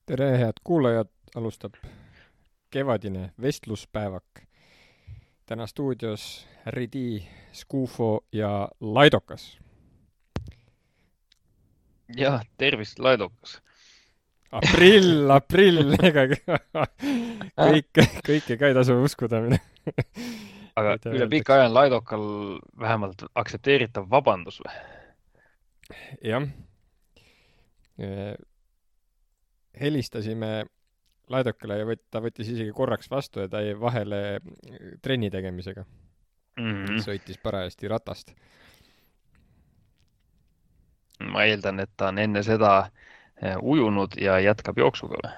Tere, head kuulajad, alustab kevadine vestluspäevak. Täna stuudios Ridi, Skufo ja Laidokas. Jah, tervist, Laidokas. Aprill, ega kõike ka ei tasu uskuda. Aga üle pika aja on Laidokal vähemalt aktsepteeritav vabandus või? Jah. Helistasime Laidokale ja ta võttis isegi korraks vastu ja ta jäi vahele trenni tegemisega. Sõitis parajasti ratast. Ma eeldan, et ta on enne seda ujunud ja jätkab jooksuga või?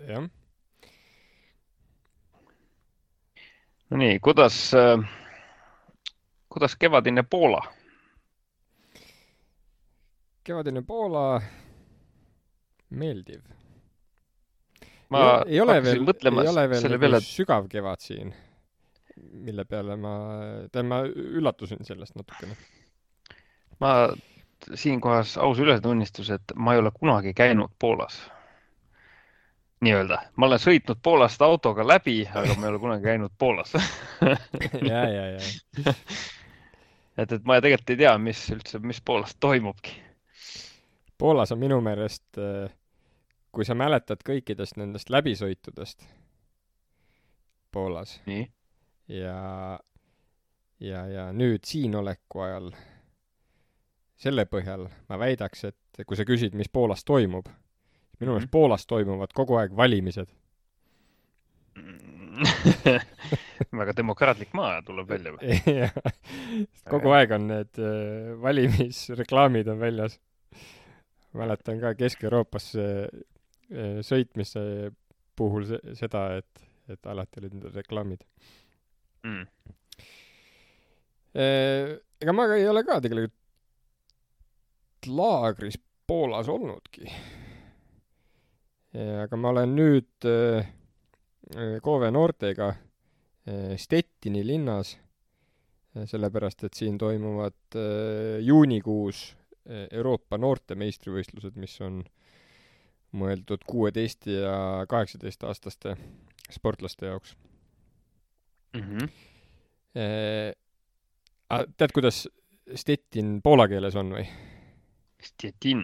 Jah. No nii, kuidas kevadine Poola? Kevadine Poola meeldiv. Ma ei ole veel selle peale, sügav kevad siin, mille peale ma üllatusin sellest natukene. Ma siinkohas aus ülestunnistus, et ma ei ole kunagi käinud Poolas. Nii-öelda. Ma olen sõitnud Poolast autoga läbi, aga ma ei ole kunagi käinud Poolas. Ja. Et ma tegelikult ei tea, mis Poolas toimubki. Poolas on minu meelest, kui sa mäletad kõikidest nendest läbisõitudest Poolas Nii. ja nüüd siin oleku ajal selle põhjal ma väidaks, et kui sa küsid, mis Poolas toimub, minu meelest Poolas toimuvad kogu aeg valimised. Väga demokraatlik maa tuleb välja või? Kogu aeg on need valimisreklaamid on väljas. Mäletan ka Kesk-Euroopas sõitmise puhul seda, et alati olid need reklaamid. Ega ma ei ole ka tegelikult laagris Poolas olnudki. Aga ma olen nüüd Koove noortega Stettini linnas, sellepärast, et siin toimuvad juunikuus Euroopa noorte meistrivõistlused, mis on mõeldud 16 ja 18 aastaste sportlaste jaoks. Tead, kuidas Stettin poola keeles on või? Stettin?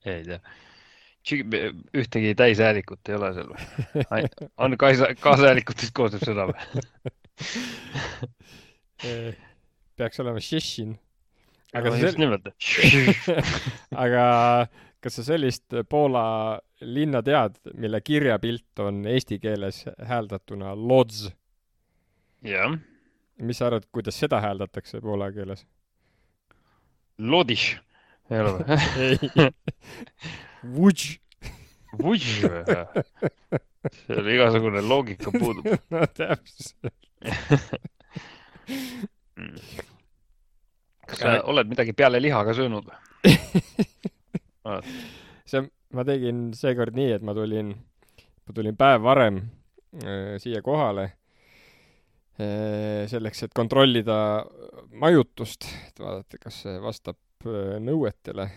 Ei tea. Ühtegi täishäälikut ei ole seal või? On kaashäälikutest koosneb seda või? Peaks olema Šešin. Aga kas sa sellist Poola linna tead, mille kirjapilt on eesti keeles hääldatuna Lodz? Jah. Mis sa arvad, kuidas seda hääldatakse poola keeles? Lodiš. Ei ole või? Ei. Vudž. Vudž või? See oli igasugune loogika puudub. No täpselt. Kas sa oled midagi peale lihaga söönud? Ma tegin seekord nii, et ma tulin päev varem siia kohale selleks, et kontrollida majutust, et vaadata, kas see vastab nõuetele.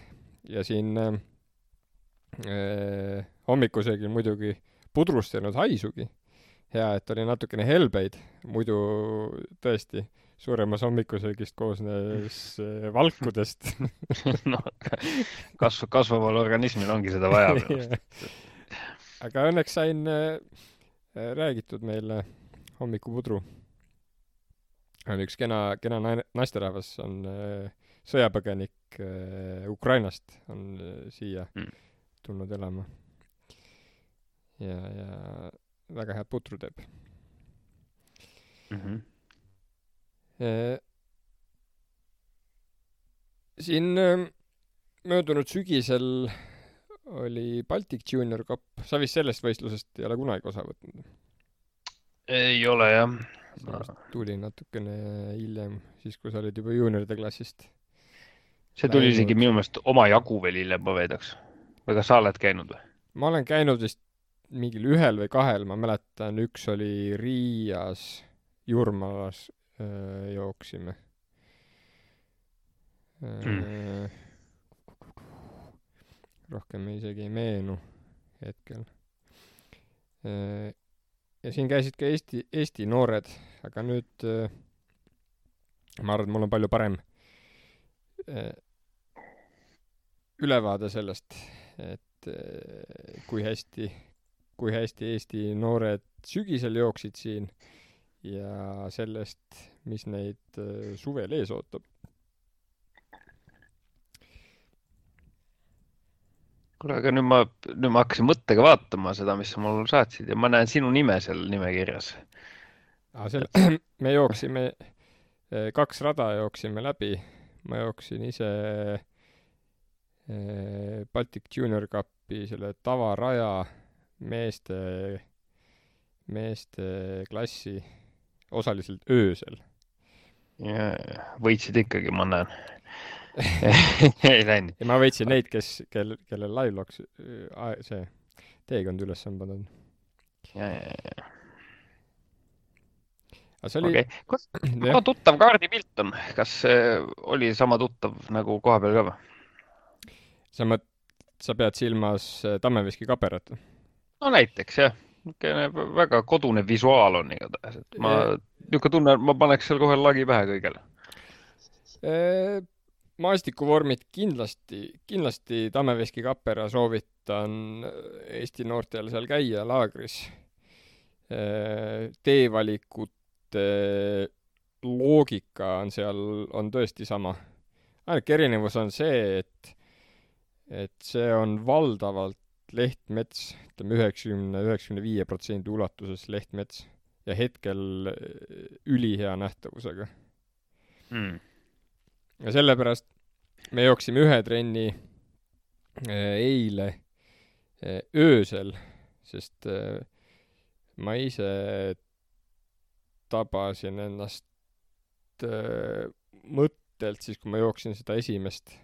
Ja siin hommikusöögil muidugi pudrust ei olnud haisugi. Hea, et oli natukene helbeid, muidu tõesti suuremas hommikusöögist koosnes valkudest. No, kasvaval organismil ongi seda vaja. Aga õnneks sain räägitud meile hommikupudru. On üks kena naisterahvas, on sõjapõgenik Ukrainast, on siia tulnud elama. Ja väga head putru teeb. Siin möödunud sügisel oli Baltic Junior Cup. Sa vist sellest võistlusest ei ole kunagi osa võtnud? Ei ole, jah. see vist tuli natukene hiljem, siis kui sa olid juba juunioride klassist see tuli isegi läinud. minu meelest omajagu veel hiljem, ma veedaks. Või kas sa oled käinud või? Ma olen käinud vist mingil 1 või 2, ma mäletan, üks oli Riias, Jurmalas jooksime. Rohkem isegi ei meenu hetkel. Ja siin käisid ka Eesti noored, aga nüüd ma arvan, et mul on palju parem ülevaade sellest, et kui hästi Eesti noored sügisel jooksid siin ja sellest, mis neid suvel ees ootab. Kuule, aga nüüd ma hakkasin mõttega vaatama seda, mis sa mul saatsid ja ma näen sinu nime seal nimekirjas. Me jooksime 2 rada jooksime läbi. Ma jooksin ise Baltic Junior Cupi selle tavaraja meeste klassi osaliselt öösel. Ja võitsid ikkagi, ma näen. Ei läinud. Ja ma võitsin neid, kellel live-loks see teekond üles on pannud. Ja. Aga see oli... Okay. Kui tuttav kaardipilt on? Kas oli sama tuttav nagu koha peal ka või? Sa pead silmas Tammeveski kaperat? No näiteks, jah. Väga kodune visuaal on igatahes. Ma tunnen, ma paneks seal kohe lagi pähe kõigele. Maastikuvormid kindlasti Tammeveski kapera soovitan Eesti noortel seal käia laagris. Teevalikute loogika on seal on tõesti sama. Ainuke erinevus on see, et see on valdavalt lehtmets, ütleme 90-95% ulatuses lehtmets ja hetkel ülihea nähtavusega. Ja sellepärast me jooksime 1 trenni eile öösel, sest ma ise tabasin ennast mõttelt siis, kui ma jooksin seda esimest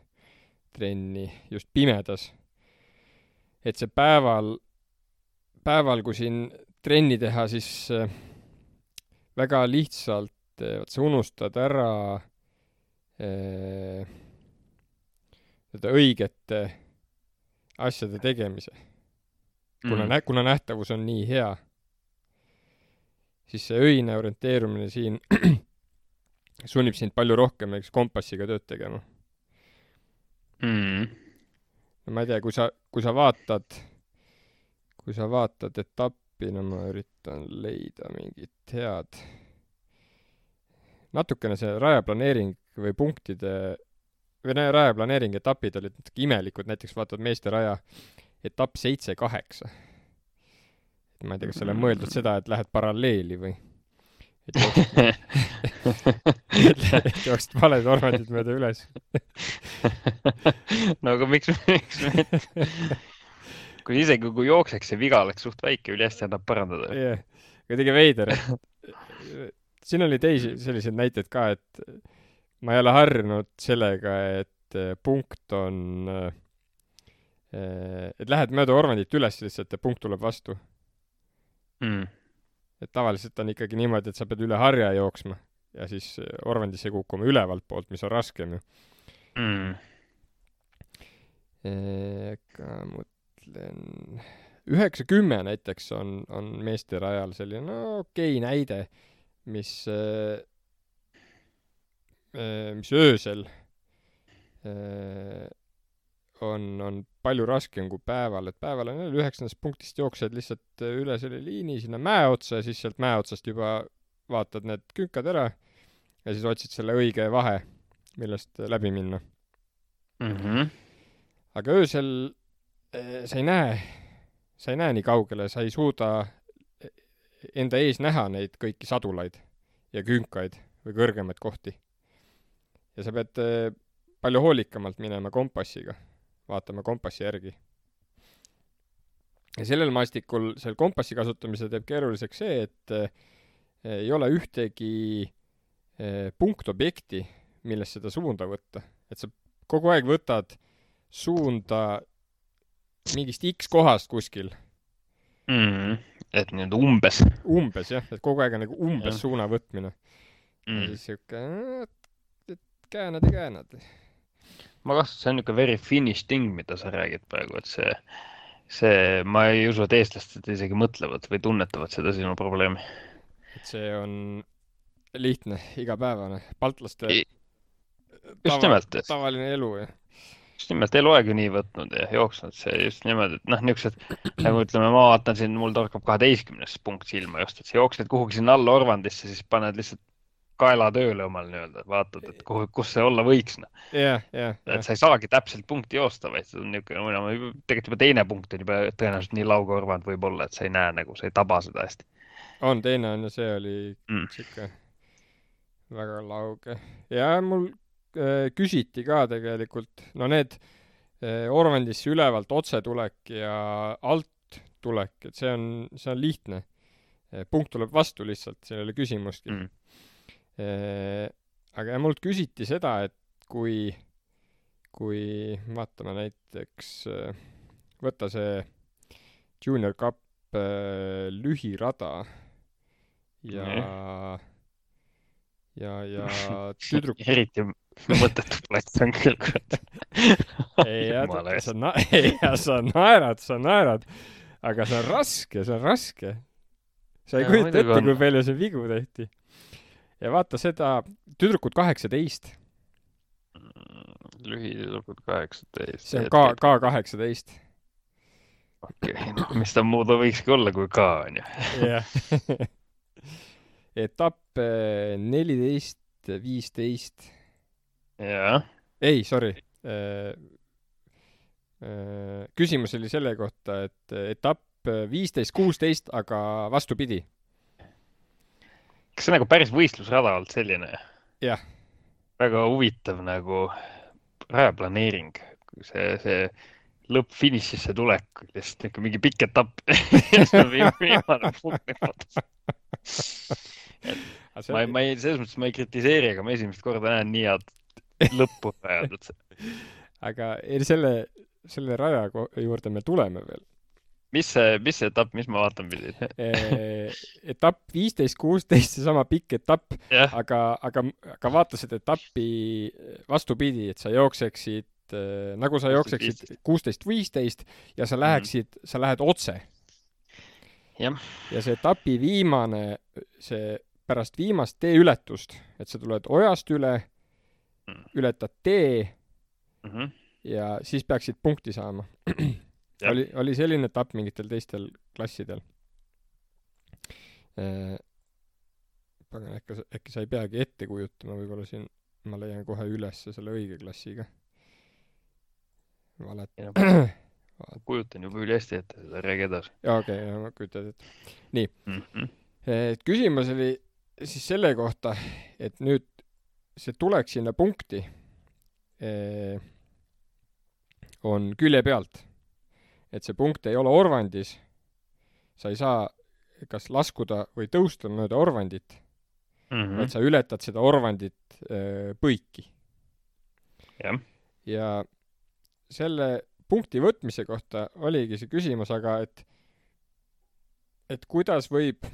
trenni just pimedas. Et see päeval, kui siin trenni teha, siis väga lihtsalt sa unustad ära õigete asjade tegemise. Kuna nähtavus on nii hea, siis see öine orienteerumine siin sunnib sind palju rohkem kompassiga tööd tegema. Ma ei tea, kui sa vaatad etappi, no ma üritan leida mingit head. Natukene see rajaplaneering või punktide või rajaplaneering etapid olid natuke imelikud, näiteks vaatad meeste raja etapp 7-8. Ma ei tea, kas selle on mõeldud seda, et lähed paralleeli või et jooksid valed ormandid mööda üles. No aga miks kui isegi kui jookseks see viga oleks suht väike, üli hästi annab parandada. Jah, kuidagi veider. Siin oli teisi selliseid näiteid ka, et ma ei ole harjunud sellega, et punkt on, et lähed mööda ormandit üles lihtsalt ja punkt tuleb vastu. Et tavaliselt on ikkagi niimoodi, et sa pead üle harja jooksma ja siis orvandisse kukkuma ülevalt poolt, mis on raskem ju. Ega mõtlen 9-10 näiteks on meeste rajal selline okei näide, mis öösel on palju raskem kui päeval, et päeval on 9. punktist jooksed lihtsalt üle selle liini sinna mäe otsa ja siis sealt mäe otsast juba vaatad need künkad ära ja siis otsid selle õige vahe, millest läbi minna. Aga öösel sa ei näe nii kaugele, sa ei suuda enda ees näha neid kõiki sadulaid ja künkaid või kõrgemaid kohti. Ja sa pead palju hoolikamalt minema kompassiga, vaatama kompassi järgi. Ja sellel maastikul seal kompassi kasutamise teeb keeruliseks see, ei ole ühtegi punktobjekti, millest seda suunda võtta. Et sa kogu aeg võtad suunda mingist X kohast kuskil. Et nüüd umbes. Umbes, jah. Et kogu aeg on nagu umbes suuna võtmine. Ja siis siuke, et käänad ja käänad. Ma kastan, see on niuke very Finnish thing, mida sa räägid praegu, et see ma ei usu, et eestlased isegi mõtlevad või tunnetavad seda sinu probleemi. Et see on lihtne, igapäevane. Baltlaste just nimelt. Tavaline elu, jah. Just nimelt eluaeg ju nii võtnud ja jooksnud see just nimelt, et niisugused, nagu ütleme, ma vaatan siin, mul torkab 12. punkt silma just, et sa jooksed kuhugi sinna alla Orvandisse, siis paned lihtsalt kaela tööle omal nii-öelda, vaatad, et kus see olla võiks. Et sa ei saagi täpselt punkti joosta, vaid see on niisugune, tegelikult juba teine punkt on juba tõenäoliselt nii lauge Orvand võib olla, et sa ei näe nagu, sa ei taba seda hästi. On, teine on ja see oli siuke väga lauge. Ja mul küsiti ka tegelikult, no need Orvandisse ülevalt otsetulek ja alt tulek, et see on lihtne. Punkt tuleb vastu lihtsalt, seal ei ole küsimustki. Aga mult küsiti seda, et kui vaatame näiteks, võtta see Junior Cup lühirada ja eriti mõttetu plats on küll. Sa naerad, aga see on raske. Sa ei kujuta ette, kui palju see vigu tehti. Ja vaata seda tüdrukud 18. Lühitüdrukud 18. See on K18. Okei, mis ta muuda võikski olla kui K, on ju. Jah. Etapp 14-15. Jaa. Ei, sorry. Küsimus oli selle kohta, et etapp 15-16, aga vastupidi. Kas see nagu päris võistlusrada olnud selline? Jah. Väga huvitav nagu rajaplaneering. See lõpp-finišisse tulek, lihtsalt mingi pikk etapp. See on viimane punkt. Selles mõttes ma ei kritiseeri, aga ma esimest korda näen nii head lõppu rajadud. Aga selle raja juurde me tuleme veel. Mis see etapp, mis ma vaatan pidin? Etapp 15-16, see sama pikk etapp, yeah. aga vaata seda etappi vastupidi, et sa jookseksid, nagu sa jookseksid 16-15 ja sa lähed otse. Yeah. Ja see etapi viimane, see pärast viimast teeületust, et sa tuled ojast üle, ületad tee ja siis peaksid punkti saama. Oli selline etapp mingitel teistel klassidel. Äkki sa ei peagi ette kujutama, võib-olla siin ma leian kohe üles selle õige klassiga. Kujutan juba üle hästi ette, seda räägi edasi. Okei, ma kujutan ette. Nii. Küsimus oli siis selle kohta, et nüüd see tuleks sinna punkti on külje pealt. Et see punkt ei ole Orvandis, sa ei saa kas laskuda või tõusta mööda Orvandit, et sa ületad seda Orvandit põiki. Ja selle punkti võtmise kohta oligi see küsimus, aga et kuidas võib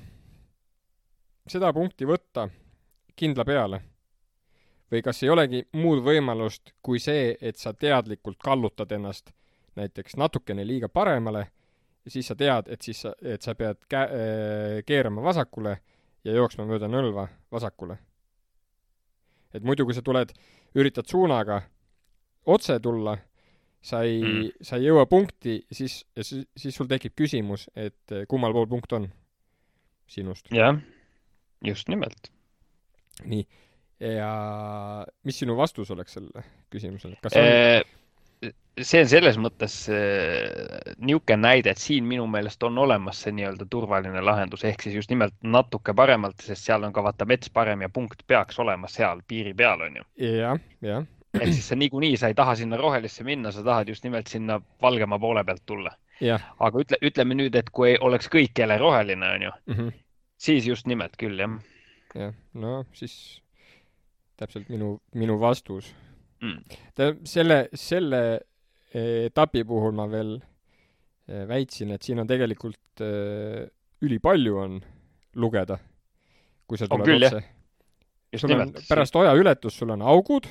seda punkti võtta kindla peale? Või kas ei olegi muud võimalust kui see, et sa teadlikult kallutad ennast näiteks natukene liiga paremale ja siis sa tead, et sa pead keerama vasakule ja jooksma mööda nõlva vasakule. Et muidu, kui sa üritad suunaga otse tulla, sa ei jõua punkti, siis sul tekib küsimus, et kummal pool punkt on sinust. Jah, just nimelt. Nii. Ja mis sinu vastus oleks selle küsimusele? Kas on... See on selles mõttes niuke näide, et siin minu meelest on olemas see nii-öelda turvaline lahendus, ehk siis just nimelt natuke paremalt, sest seal on ka vaata mets parem ja punkt peaks olema seal piiri peal, on ju. Jah. Ehk siis niikuinii sa ei taha sinna rohelisse minna, sa tahad just nimelt sinna valgema poole pealt tulla. Ja. Aga ütleme nüüd, et kui oleks kõik jälle roheline, on ju, siis just nimelt küll, jah jah, no siis täpselt minu vastus. mm.. Selle etapi puhul ma veel väitsin, et siin on tegelikult ülipalju on lugeda, kui sa On tuled küll, jah. otse. Just sul on nimelt. pärast oja ületust, sul on augud,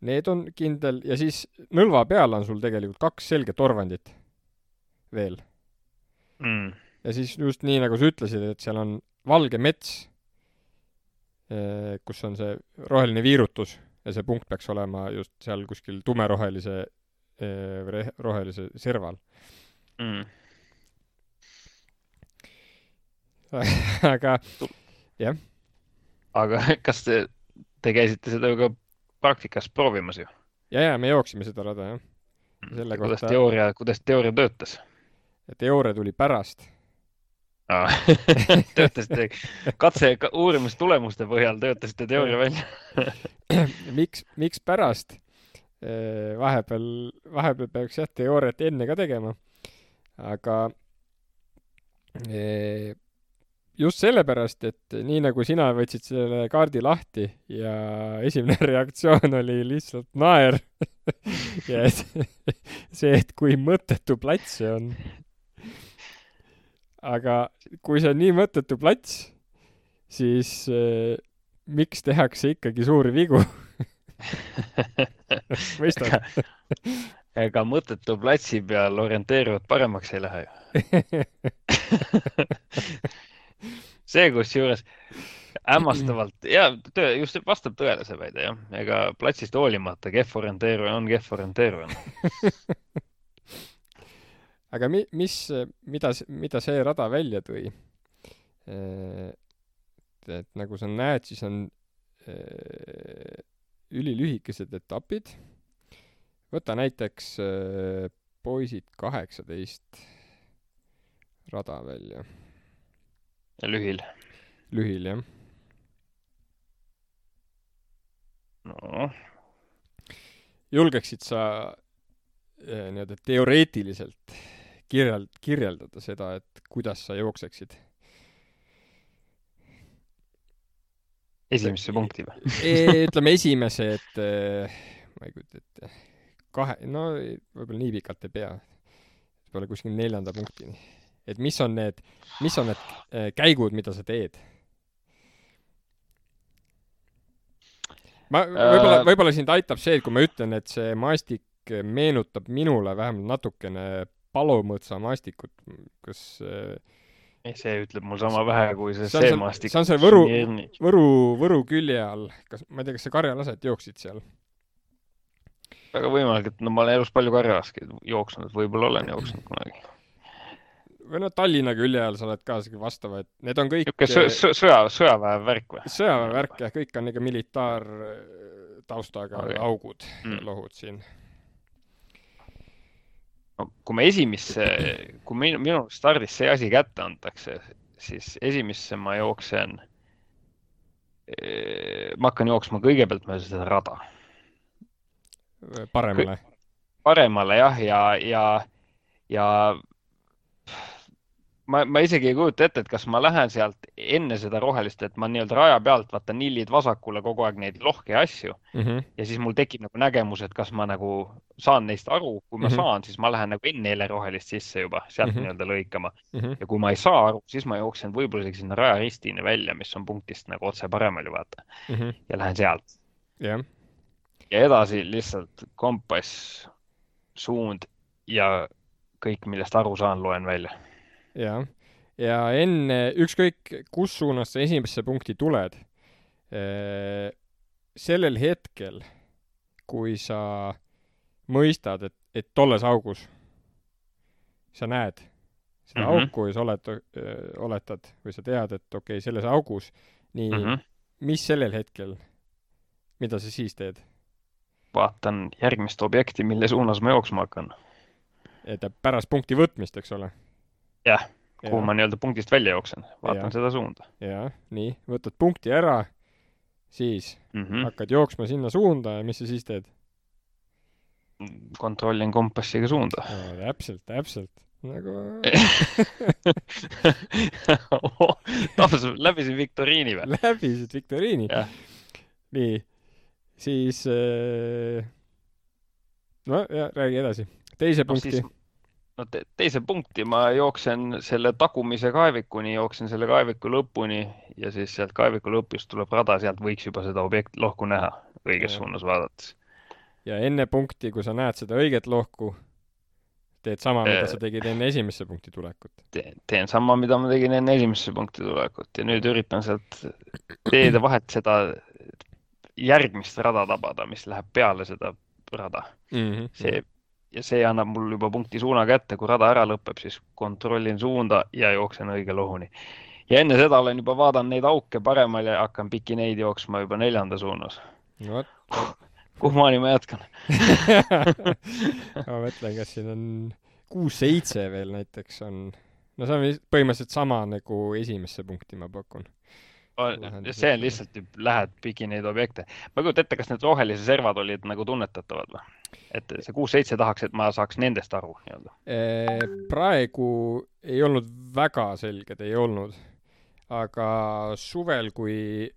need on kindel, ja siis nõlva peal on sul tegelikult 2 selget orvandit veel. Mm. Ja siis just nii, nagu sa ütlesid, et seal on valge mets, kus on see roheline viirutus ja see punkt peaks olema just seal kuskil tumerohelise või rohelise serval. Mm. Aga jah. Aga kas te käisite seda ju ka praktikas proovimas ju? Ja me jooksime seda rada, jah. Selle Kuidas teooria töötas? Teooria tuli pärast. Töötasite uurimistulemuste põhjal töötasite teooria välja? Miks pärast? Vahepeal peaks jah teooriat enne ka tegema. Aga just sellepärast, et nii nagu sina võtsid selle kaardi lahti ja esimene reaktsioon oli lihtsalt naer. Ja see, et kui mõttetu plats see on. Aga kui see on nii mõttetu plats, siis miks tehakse ikkagi suuri vigu? Mõistad? Ega mõttetu platsi peal orienteeruvad paremaks ei lähe ju. See kusjuures hämmastavalt, ja just vastab tõele see väide, jah. Ega platsist hoolimata kehv orienteeruja on kehv orienteeruja. Aga mida see rada välja tõi? Et nagu sa näed, siis on ülilühikesed etapid. Võta näiteks poisid 18 rada välja. Lühil, jah. No. Julgeksid sa nii-öelda teoreetiliselt kirjeldada seda, et kuidas sa jookseksid? Esimesse punkti või? Ütleme esimese, et ma ei kujuta ette. Võib-olla nii pikalt ei pea. Võib-olla kuskil 4. punktini. Et mis on need käigud, mida sa teed? Võib-olla sind aitab see, et kui ma ütlen, et see maastik meenutab minule vähemalt natukene Palomõtsa maastikut, kas see ütleb mul sama vähe kui see maastik. See on see Võru külje all. Ma ei tea, kas sa Karjalaset jooksid seal? Väga võimalik, et ma olen elus palju Karjalaski jooksnud, võib-olla olen jooksnud kunagi. Või Tallinna külje all sa oled ka vastava, et need on kõik sõjaväe värk või? Sõjaväe värk, jah, kõik on ikka militaar taustaga augud ja lohud siin. No, kui minu stardis see asi kätte antakse, siis esimesse ma hakkan jooksma kõigepealt mööda seda rada. Paremale, jah, ja ma isegi ei kujuta ette, et kas ma lähen sealt enne seda rohelist, et ma nii-öelda raja pealt vaatan nillid vasakule kogu aeg neid lohke asju ja siis mul tekib nagu nägemus, et kas ma nagu saan neist aru. Kui ma saan, siis ma lähen nagu enne rohelist sisse juba sealt nii-öelda lõikama. Ja kui ma ei saa aru, siis ma jooksen võib-olla sinna raja ristini välja, mis on punktist nagu otse paremal ju vaata. Ja lähen sealt. Ja edasi lihtsalt kompass, suund ja kõik, millest aru saan, loen välja. Ja enne ükskõik, kus suunas sa esimesse punkti tuled, sellel hetkel, kui sa mõistad, et tolles augus sa näed seda auku ja sa oletad või sa tead, et okei, selles augus, nii, mis sellel hetkel, mida sa siis teed? Vaatan järgmist objekti, mille suunas ma jooksma hakkan. Et pärast punkti võtmist, eks ole? Jah, kuhu ma nii-öelda punktist välja jooksen. Vaatan seda suunda. Ja, nii. Võtad punkti ära, siis hakkad jooksma sinna suunda ja mis sa siis teed? Kontrollin kompassiga suunda. Täpselt. nagu läbisin viktoriini või? läbisid viktoriini. Jah. Nii, siis no ja räägi edasi. Teise punkti. Teise punkti ma jooksen selle tagumise kaevikuni, jooksen selle kaeviku lõpuni ja siis sealt kaeviku lõpust tuleb rada, sealt võiks juba seda lohku näha õiges suunas vaadates. Ja enne punkti, kui sa näed seda õiget lohku, teed sama, mida sa tegid enne esimesse punkti tulekut. Teen sama, mida ma tegin enne esimesse punkti tulekut ja nüüd üritan sealt teede vahet seda järgmist rada tabada, mis läheb peale seda rada. See annab mul juba punkti suuna kätte, kui rada ära lõpeb, siis kontrollin suunda ja jooksen õige lohuni. Ja enne seda olen juba vaadanud neid auke paremal ja hakkan piki neid jooksma juba 4. suunas. No, kuhmaani ma jätkan? Ma mõtlen, kas siin on 6-7 veel näiteks on. No see on põhimõtteliselt sama nagu esimesse punkti ma pakun. See on lihtsalt, lähed pigi neid objekte. Ma kujutan ette, kas need rohelise servad olid nagu tunnetatavad või? Et see 6-7 tahaks, et ma saaks nendest aru. Praegu ei olnud väga selged, ei olnud. Aga suvel, kui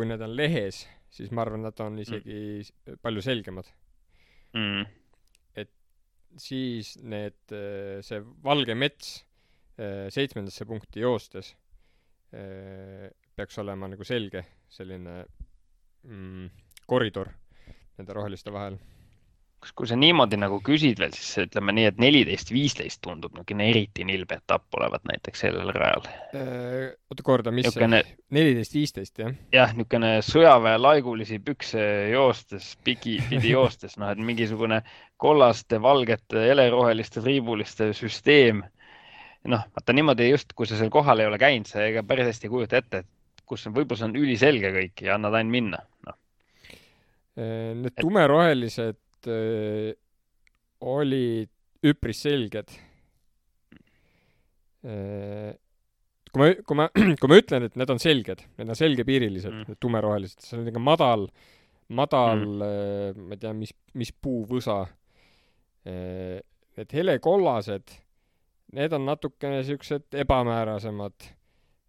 need on lehes, siis ma arvan, nad on isegi palju selgemad. Et siis see valge mets 7. punkti joostes peaks olema nagu selge selline koridor nende roheliste vahel. Kui sa niimoodi nagu küsid veel, siis ütleme nii, et 14-15 tundub niisugune eriti nilbe etapp olevat näiteks sellel rajal. Oota korda, mis see? 14-15, jah? Jah, niisugune sõjaväe laigulisi pükse joostes, pidi joostes, et mingisugune kollaste, valgete, heleroheliste, triibuliste süsteem. Vaata niimoodi just, kui sa seal kohal ei ole käinud, sa ega päris hästi kujuta ette, et kus võib-olla see on üliselge kõik ja annad ainult minna. Need tumerohelised olid üpris selged. Kui ma ütlen, et need on selged, need on selgepiirilised, need tumerohelised, see on niisugune madal, ma ei tea, mis puuvõsa. Need helekollased, need on natukene siuksed ebamäärasemad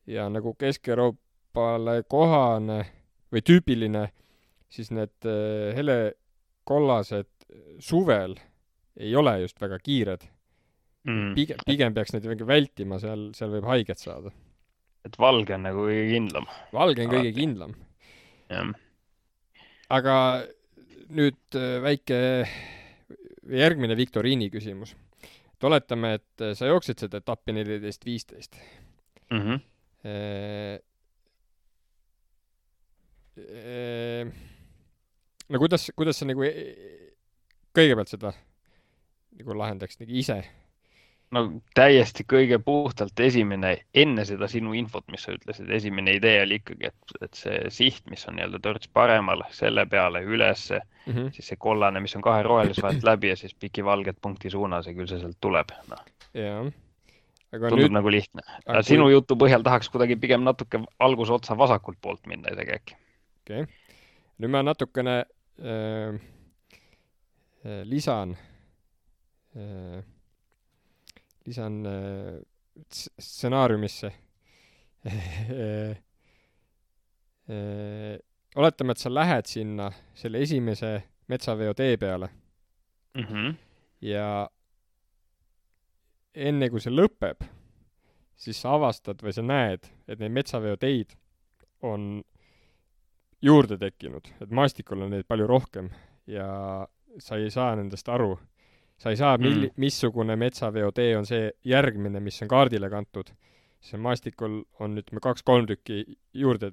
ja nagu Kesk-Euroopale kohane või tüüpiline, siis need helekollased suvel ei ole just väga kiired. Pigem peaks neid vältima, seal võib haiget saada. Et valge on nagu kõige kindlam. Valge on kõige kindlam. Ja. Aga nüüd väike järgmine viktoriini küsimus. Oletame, et sa jooksid seda etappi 14-15. No kuidas sa nagu kõigepealt seda nagu lahendaks nagu ise? No täiesti kõige puhtalt esimene, enne seda sinu infot, mis sa ütlesid, esimene idee oli ikkagi, et see siht, mis on nii-öelda törts paremal, selle peale üles, siis see kollane, mis on 2 rohelisvahelt läbi ja siis piki valget punkti suunas ja küll see sealt tuleb. Jah. Tundub nagu lihtne. Sinu jutu põhjal tahaks kuidagi pigem natuke alguse otsa vasakult poolt minna isegi äkki. Okei. Nüüd ma natukene lisan stsenaariumisse. Oletame, et sa lähed sinna selle esimese metsaveo tee peale. Ja enne kui see lõpeb, siis sa avastad või sa näed, et neid metsaveo teid on juurde tekkinud, et maastikul on neid palju rohkem ja sa ei saa nendest aru. Sa ei saa, missugune metsaveo tee on see järgmine, mis on kaardile kantud. See maastikul on 2-3 tükki juurde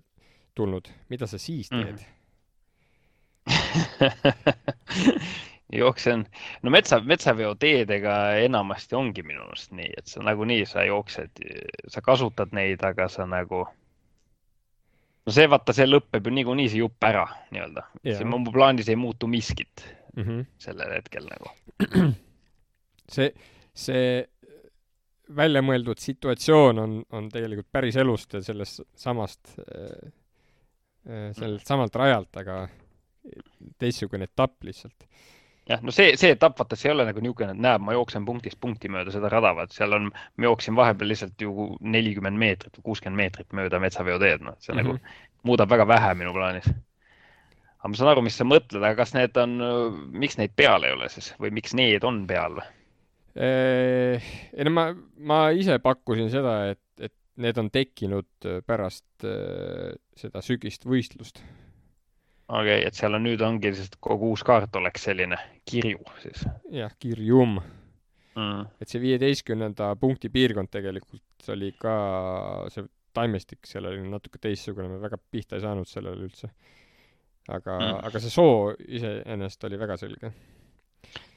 tulnud. Mida sa siis teed? Jooksen. No metsaveo teedega enamasti ongi minu arust nii, et sa nagunii sa jooksed, sa kasutad neid, aga sa nagu no see see lõpeb ju niikuinii see jupp ära nii-öelda. See mu plaanis ei muutu miskit sellel hetkel nagu. See väljamõeldud situatsioon on tegelikult päris elust ja sellest samalt rajalt, aga teistsugune etapp lihtsalt. jah, no see etapp, vaata, see ei ole nagu niisugune, et näeb, ma jooksen punktist punkti mööda seda rada, vaat seal on, ma jooksin vahepeal lihtsalt ju 40 meetrit või 60 meetrit mööda metsaveoteed, noh, see nagu muudab väga vähe minu plaanis. aga ma saan aru, mis sa mõtled, aga kas need on, miks neid peal ei ole siis või miks need on peal või? Ei no ma ise pakkusin seda, et need on tekkinud pärast seda sügist võistlust. Okei, et seal on nüüd ongi, sest kogu uus kaart oleks selline kirju siis. Jah, kirjum. Et see 15. punkti piirkond tegelikult oli ka, see taimestik seal oli natuke teistsugune, me väga pihta ei saanud sellele üldse. Aga see soo iseenesest oli väga selge.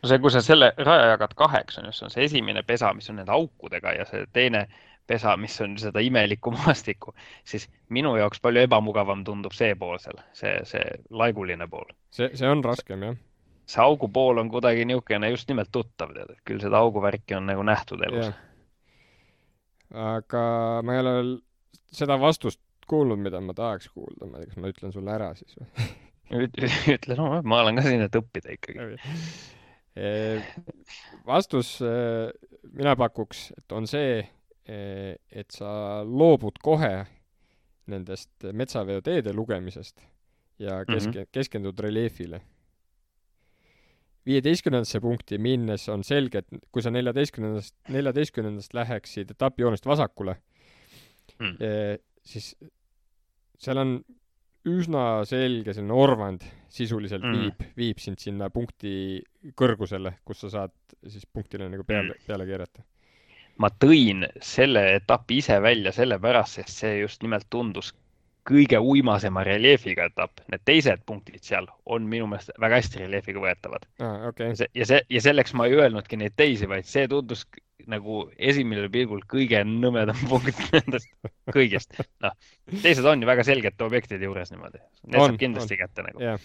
No see, kui sa selle raja jagad kaheks, on just see esimene pesa, mis on nende aukudega ja see teine pesa, mis on seda imelikku maastikku, siis minu jaoks palju ebamugavam tundub see pool seal, see laiguline pool. See on raskem, jah. See augu pool on kuidagi niisugune just nimelt tuttav, tead, et küll seda auguvärki on nagu nähtud elus. Aga ma ei ole seda vastust kuulnud, mida ma tahaks kuulda, ma ei tea, kas ma ütlen sulle ära siis või? Ütle, no ma olen ka siin, et õppida ikkagi. Vastus mina pakuks, et on see, et sa loobud kohe nendest metsaveoteede lugemisest ja keskendud reljeefile. 15. punkti minnes on selge, et kui sa 14. läheksid etapijoonest vasakule, siis seal on üsna selge selline orvand sisuliselt viib sind sinna punkti kõrgusele, kus sa saad siis punktile nagu peale keerata. Ma tõin selle etapi ise välja sellepärast, sest see just nimelt tundus kõige uimasema reljeefiga etapp. Need teised punktid seal on minu meelest väga hästi reljeefiga võetavad. Okay. Ja selleks ma ei öelnudki neid teisi, vaid see tundus nagu esimene pilgul kõige nõmedam punkt nendest kõigest. No, teised on ju väga selgete objektide juures niimoodi. Need saab kindlasti kätte nagu. Yeah.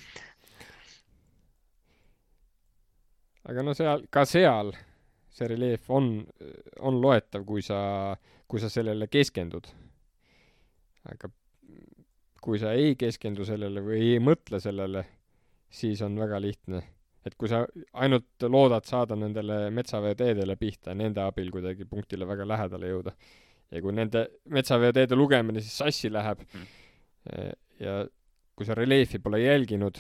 Aga no seal see reljeef on loetav, kui sa sellele keskendud. Aga kui sa ei keskendu sellele või ei mõtle sellele, siis on väga lihtne. Et kui sa ainult loodad saada nendele metsaveoteedele pihta, nende abil kuidagi punktile väga lähedale jõuda. Ja kui nende metsaveoteede lugemine siis sassi läheb ja kui sa reljeefi pole jälginud,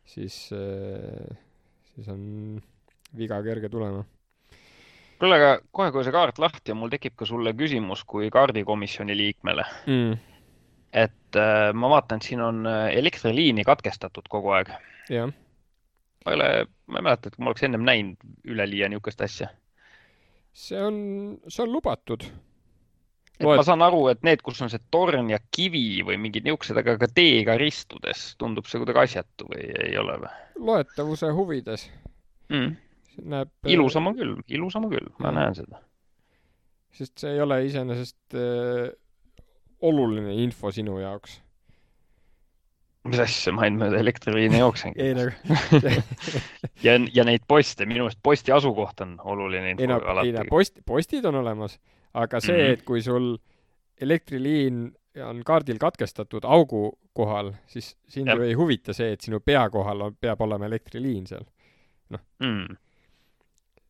siis on viga kerge tulema. Kuule, aga kohe, kui see kaart lahti on, mul tekib ka sulle küsimus kui kaardikomisjoni liikmele. Et ma vaatan, et siin on elektriliini katkestatud kogu aeg. Jah. Ma ei mäleta, et ma oleks ennem näinud üleliia niisugust asja. See on lubatud. Ma saan aru, et need, kus on see torn ja kivi või mingid niisugused, aga ka teega ristudes tundub see kuidagi asjatu või ei ole või? Loetavuse huvides. Ilusam on küll, ma näen seda. Sest see ei ole iseenesest oluline info sinu jaoks. Mis asja, ma ei mööda elektriliini jooksengi. Ei nagu. ja neid poste, minu meelest posti asukoht on oluline info alati. Postid on olemas, aga see, et kui sul elektriliin on kaardil katkestatud augu kohal, siis sind ju ei huvita see, et sinu pea kohal peab olema elektriliin seal. Noh.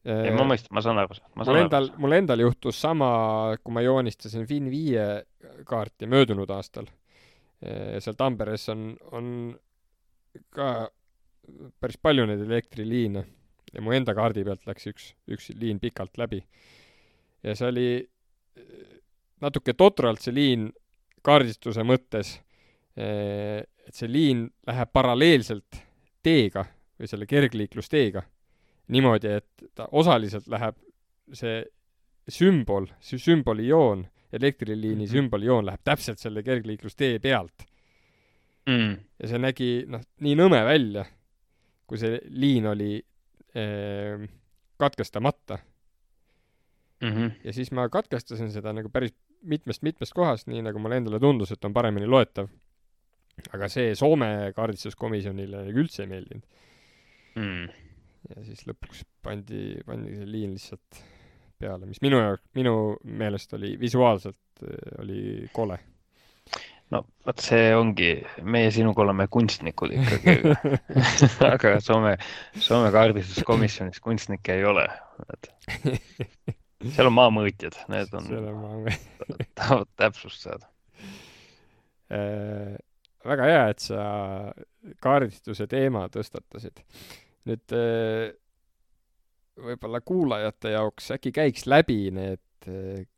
Ei, ma saan aru. Mul endal juhtus sama, kui ma joonistasin Fin5 kaarti möödunud aastal. Seal Tamperes on ka päris palju neid elektriliine ja mu enda kaardi pealt läks üks liin pikalt läbi. Ja see oli natuke totralt see liin kaardistuse mõttes, et see liin läheb paralleelselt teega või selle kergliiklusteega. Niimoodi, et ta osaliselt läheb see sümbolijoon, elektriliini sümbolijoon läheb täpselt selle kergliiklustee pealt. Ja see nägi nii nõme välja, kui see liin oli katkestamata. Ja siis ma katkestasin seda nagu päris mitmest kohast, nii nagu mulle endale tundus, et on paremini loetav. Aga see Soome kaardistuskomisjonile üldse ei meeldinud. Ja siis lõpuks pandi see liin lihtsalt peale, mis minu meelest oli visuaalselt oli kole. no vot see ongi, meie sinuga oleme kunstnikud ikkagi. Aga Soome kaardistuskomisjonis kunstnikke ei ole. Seal on maamõõtjad, need on, tahavad täpsust saada. Väga hea, et sa kaardistuse teema tõstatasid. Nüüd võib-olla kuulajate jaoks äkki käiks läbi need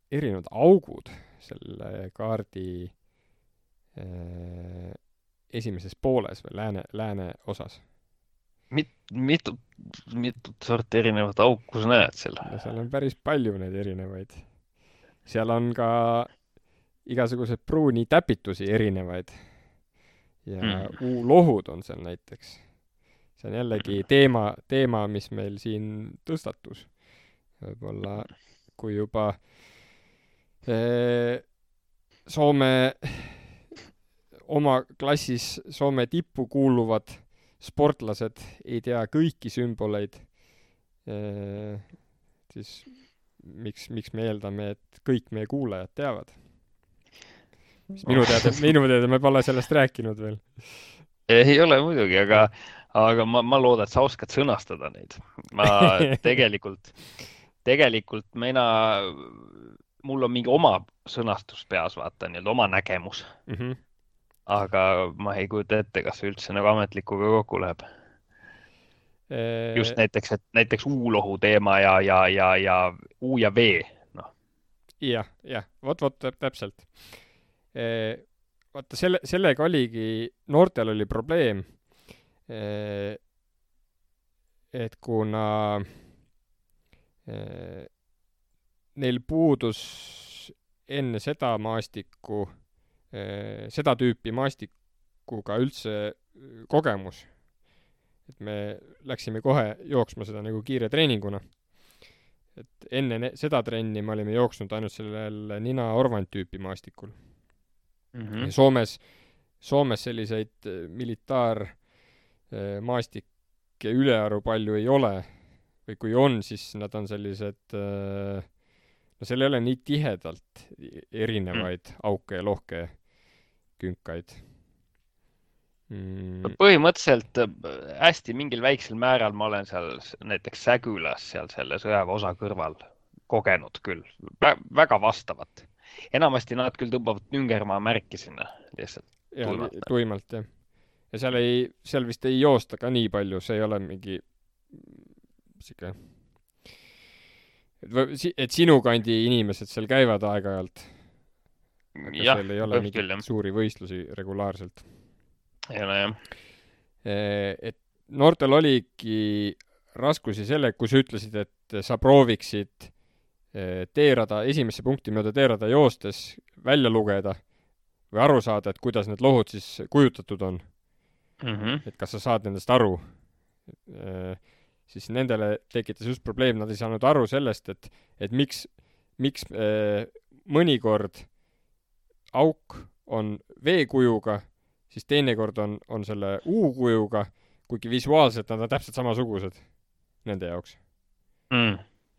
erinevad augud selle kaardi esimeses pooles või lääne osas. Mitut sorti erinevat auku sa näed seal? No seal on päris palju neid erinevaid. Seal on ka igasugused pruuni täpitusi erinevaid. Ja U-lohud on seal näiteks. See on jällegi teema, mis meil siin tõstatus. Võib-olla kui juba Soome oma klassis Soome tippu kuuluvad sportlased ei tea kõiki sümboleid, siis miks me eeldame, et kõik meie kuulajad teavad? Minu teada me pole sellest rääkinud veel. Ei ole muidugi, aga ma loodan, et sa oskad sõnastada neid. Ma tegelikult mul on mingi oma sõnastus peas, vaata, nii-öelda oma nägemus. Aga ma ei kujuta ette, kas see üldse nagu ametlikuga kokku läheb. Just näiteks U-lohu teema ja U ja V. No. Jah, vot täpselt. Vaata, sellega oligi, noortel oli probleem, et kuna neil puudus enne seda maastikku, seda tüüpi maastikuga üldse kogemus, et me läksime kohe jooksma seda nagu kiire treeninguna. Et enne seda trenni me olime jooksnud ainult sellel Nina Orvand tüüpi maastikul. Ja Soomes selliseid militaarmaastikke ülearu palju ei ole, või kui on, siis nad on sellised, no seal ei ole nii tihedalt erinevaid auke ja lohke künkaid. Põhimõtteliselt hästi mingil väiksel määral ma olen seal näiteks Sägülas seal selle sõjaväeosa kõrval kogenud küll. Väga vastavat. Enamasti nad küll tõmbavad Nüngermaa märki sinna lihtsalt tuimalt, jah. Ja seal vist ei joosta ka nii palju, see ei ole mingi siuke, et sinu kandi inimesed seal käivad aeg-ajalt. Aga seal ei ole mingi suuri võistlusi regulaarselt. Ei ole, jah. Et noortel oligi raskusi selle, kui sa ütlesid, et sa prooviksid teerada, esimesse punkti mööda teerada joostes välja lugeda või aru saada, et kuidas need lohud siis kujutatud on. Et kas sa saad nendest aru. Siis nendele tekitas just probleem, nad ei saanud aru sellest, et miks mõnikord auk on V-kujuga, siis teinekord on selle U-kujuga, kuigi visuaalselt nad on täpselt samasugused nende jaoks.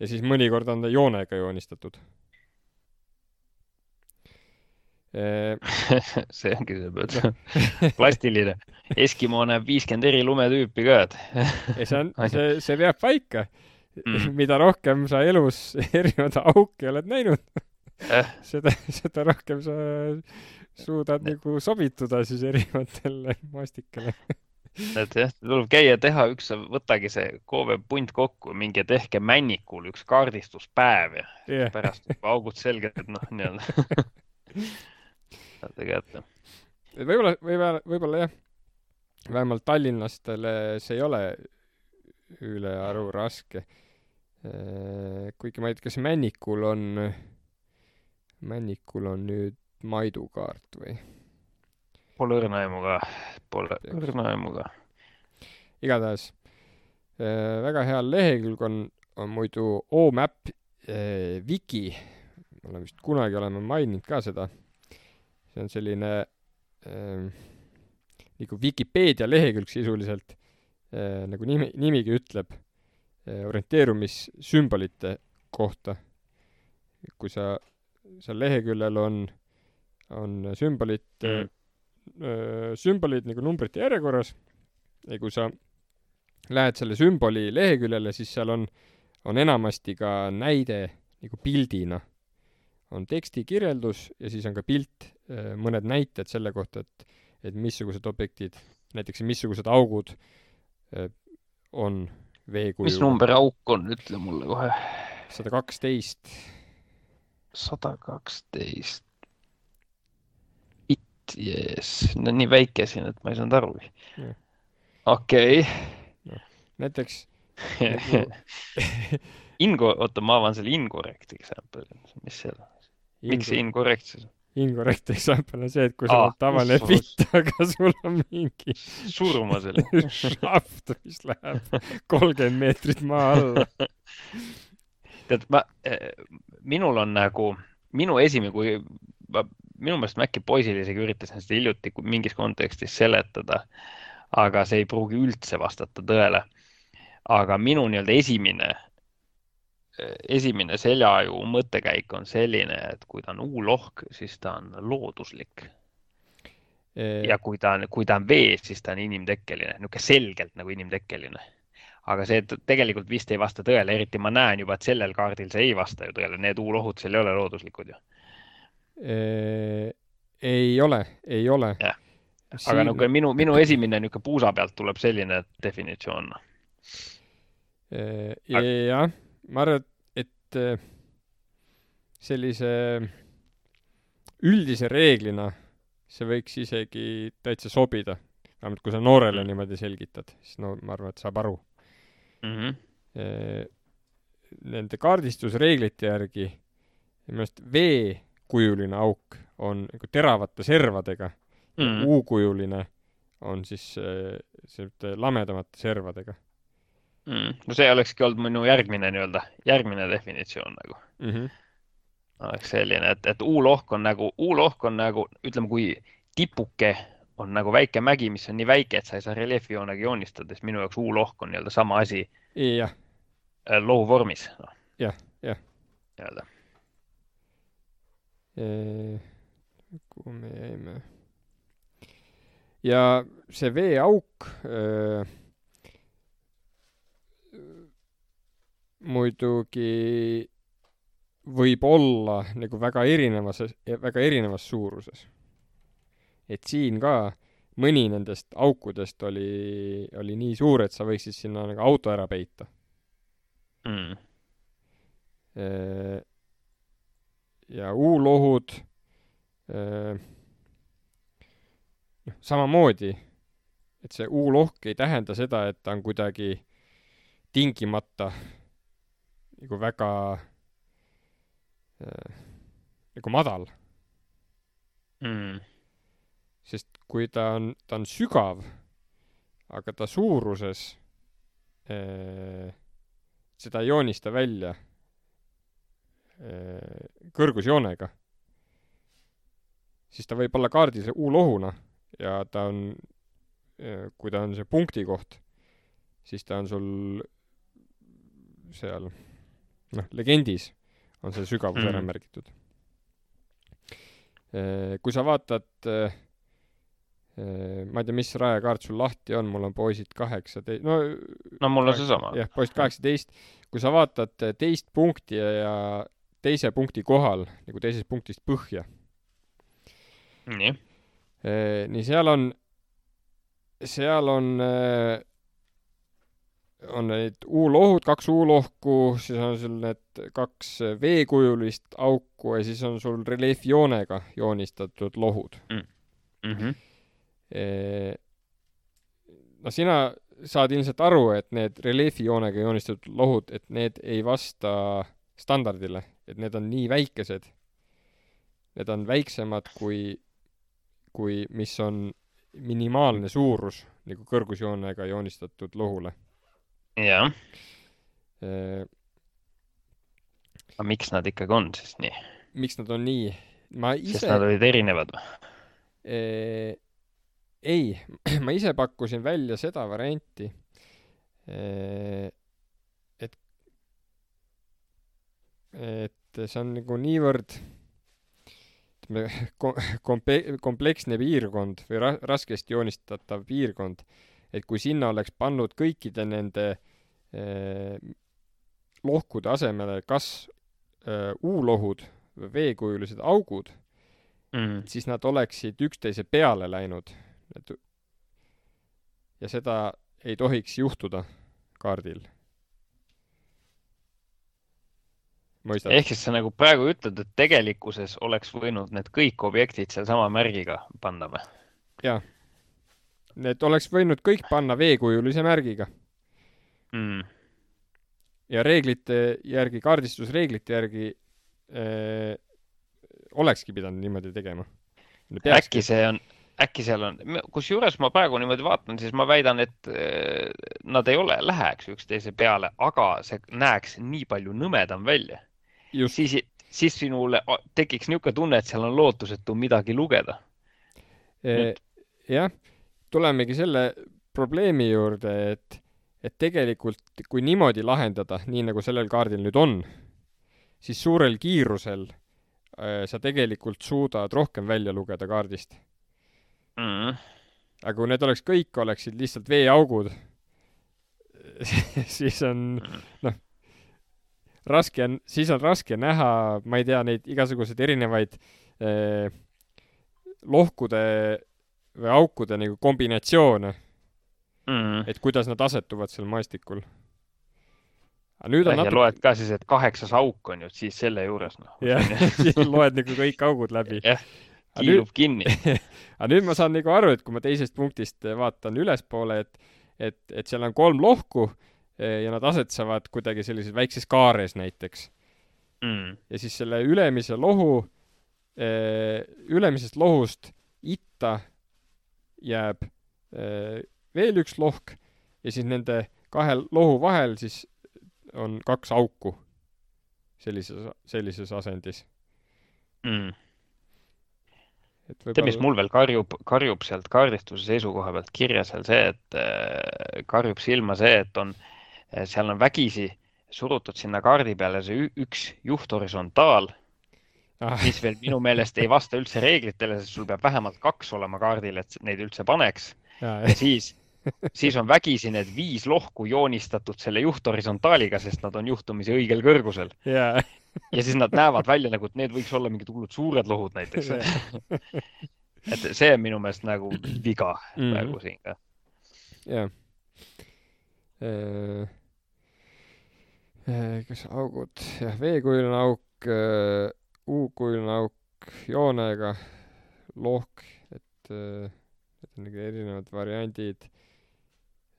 Ja siis mõnikord on ta joonega joonistatud. See ongi see plastiline. Eskimo näeb 50 eri lumetüüpi ka. See veab paika. Mida rohkem sa elus erinevad auke oled näinud, seda rohkem sa suudad nagu sobituda siis erinevatele maastikele. Et jah, tuleb käia teha võtagi see KV punt kokku, mingi tehke Männikul üks kaardistuspäev ja pärast augud selged, nii-öelda. Võib-olla jah, vähemalt tallinnastele see ei ole ülearu raske. Kuigi ma ei tea, kas Männikul on nüüd Maidu kaart või? Pole õrna aimuga. Igatahes väga hea lehekülg on muidu OMAP Wiki. Ma olen vist kunagi oleme maininud ka seda. See on selline nagu Wikipeedia lehekülg sisuliselt, nagu nimigi ütleb, orienteerumissümbolite kohta. Kui seal leheküljel on on sümbolid sümbolid nagu numbrite järjekorras ja kui sa lähed selle sümboli leheküljele, siis seal on enamasti ka näide nagu pildina. On tekstikirjeldus ja siis on ka pilt, mõned näited selle kohta, et missugused objektid, näiteks missugused augud on veekujuga. Mis number auk on, ütle mulle kohe. 112. 112. Bitt, jees. No nii väike siin, et ma ei saanud aru. Okei. No, näiteks oota, ma avan selle incorrect example. Mis seal on? Miks see incorrectsus? Incorrect example on see, et kui sul on tavaline bitt, aga sul on mingi surma selle šaft, mis läheb 30 meetrit maa alla. Tead, minul on nagu, minu meelest ma äkki poisile isegi üritasin seda hiljuti mingis kontekstis seletada, aga see ei pruugi üldse vastata tõele. Aga minu nii-öelda esimene seljaju mõttekäik on selline, et kui ta on U-lohk, siis ta on looduslik. Ja kui ta on vees, siis ta on inimtekkeline. Niuke selgelt nagu inimtekkeline. Aga see tegelikult vist ei vasta tõele, eriti ma näen juba, et sellel kaardil see ei vasta ju tõele. Need U-lohud seal ei ole looduslikud ju. Ei ole. Ja. Aga nagu minu esimene niuke puusa pealt tuleb selline definitsioon. Jah, ma arvan, et sellise üldise reeglina see võiks isegi täitsa sobida. Vähemalt kui sa noorele niimoodi selgitad, siis no ma arvan, et saab aru. Nende kaardistusreeglite järgi minu V-kujuline auk on nagu teravate servadega. U-kujuline on siis lamedamate servadega. No see olekski olnud minu järgmine definitsioon nagu. Oleks selline, et U-lohk on nagu, ütleme, kui tipuke on nagu väike mägi, mis on nii väike, et sa ei saa reljeefijoonega joonistada, siis minu jaoks U-lohk on nii-öelda sama asi lohuvormis. Jah. Nii-öelda. Kuhu me jäime? Ja see V-auk muidugi võib olla nagu väga erinevas suuruses. Et siin ka mõni nendest aukudest oli nii suur, et sa võiksid sinna nagu auto ära peita. Ja U-lohud samamoodi, et see U-lohk ei tähenda seda, et ta on kuidagi tingimata nagu väga nagu madal. Sest kui ta on sügav, aga ta suuruses seda ei joonista välja kõrgusjoonega, siis ta võib olla kaardis U-lohuna ja ta on, kui ta on see punkti koht, siis ta on sul seal, legendis on see sügavus ära märgitud. Kui sa vaatad, ma ei tea, mis rajakaart sul lahti on, mul on poisid 18, no mul on see sama. Jah, poisid 18. Kui sa vaatad teist punkti ja teise punkti kohal, nagu teisest punktist põhja. Nii seal on need U-lohud, 2 U-lohku, siis on sul need 2 V-kujulist auku ja siis on sul reljeefjoonega joonistatud lohud. No sina saad ilmselt aru, et need reljeefijoonega joonistatud lohud, et need ei vasta standardile, et need on nii väikesed. Need on väiksemad kui mis on minimaalne suurus nagu kõrgusjoonega joonistatud lohule. Jah. Aga miks nad ikkagi on siis nii? Miks nad on nii? Sest nad olid erinevad või? Ei, ma ise pakkusin välja seda varianti, et see on nagu niivõrd, ütleme, kompleksne piirkond või raskesti joonistatav piirkond, et kui sinna oleks pannud kõikide nende lohkude asemele kas U-lohud või veekujulised augud, siis nad oleksid üksteise peale läinud. Ja seda ei tohiks juhtuda kaardil. Mõistad? Ehk siis sa nagu praegu ütled, et tegelikkuses oleks võinud need kõik objektid seal sama märgiga panna või? Jaa. Need oleks võinud kõik panna veekujulise märgiga. Ja reeglite järgi, kaardistusreeglite järgi olekski pidanud niimoodi tegema. Äkki seal on, kusjuures ma praegu niimoodi vaatan, siis ma väidan, et nad ei läheks üksteise peale, aga see näeks nii palju nõmedam välja. Siis sinule tekiks niisugune tunne, et seal on lootusetu midagi lugeda. Jah, tulemegi selle probleemi juurde, et tegelikult kui niimoodi lahendada, nii nagu sellel kaardil nüüd on, siis suurel kiirusel sa tegelikult suudad rohkem välja lugeda kaardist. Aga kui need oleksid lihtsalt veeaugud, siis on raske näha, ma ei tea, neid igasuguseid erinevaid lohkude või aukude nagu kombinatsioone, et kuidas nad asetuvad seal maastikul. Ja loed ka siis, et 8 auk on ju, siis selle juures. Jah, siis loed nagu kõik augud läbi. Jah, kiilub kinni. Aga nüüd ma saan nagu aru, et kui ma teisest punktist vaatan ülespoole, et seal on 3 lohku ja nad asetsevad kuidagi sellises väikses kaares näiteks. Ja siis selle ülemisest lohust itta jääb veel üks lohk ja siis nende 2 lohu vahel siis on 2 auku sellises asendis. See, mis mul veel karjub sealt kaardistuse seisukoha pealt kirja seal see, et karjub silma see, et seal on vägisi surutud sinna kaardi peale see üks juhthorisontaal, mis veel minu meelest ei vasta üldse reeglitele, sest sul peab vähemalt 2 olema kaardil, et neid üldse paneks. Ja siis on vägisi need 5 lohku joonistatud selle juhthorisontaaliga, sest nad on juhtumisi õigel kõrgusel. Ja siis nad näevad välja nagu, et need võiks olla mingid hullud suured lohud näiteks. Et see on minu meelest nagu viga praegu siin ka. Jah. Kas augud? Jah, veekujuline auk, U-kujuline auk, joonega, lohk, et on nagu erinevad variandid.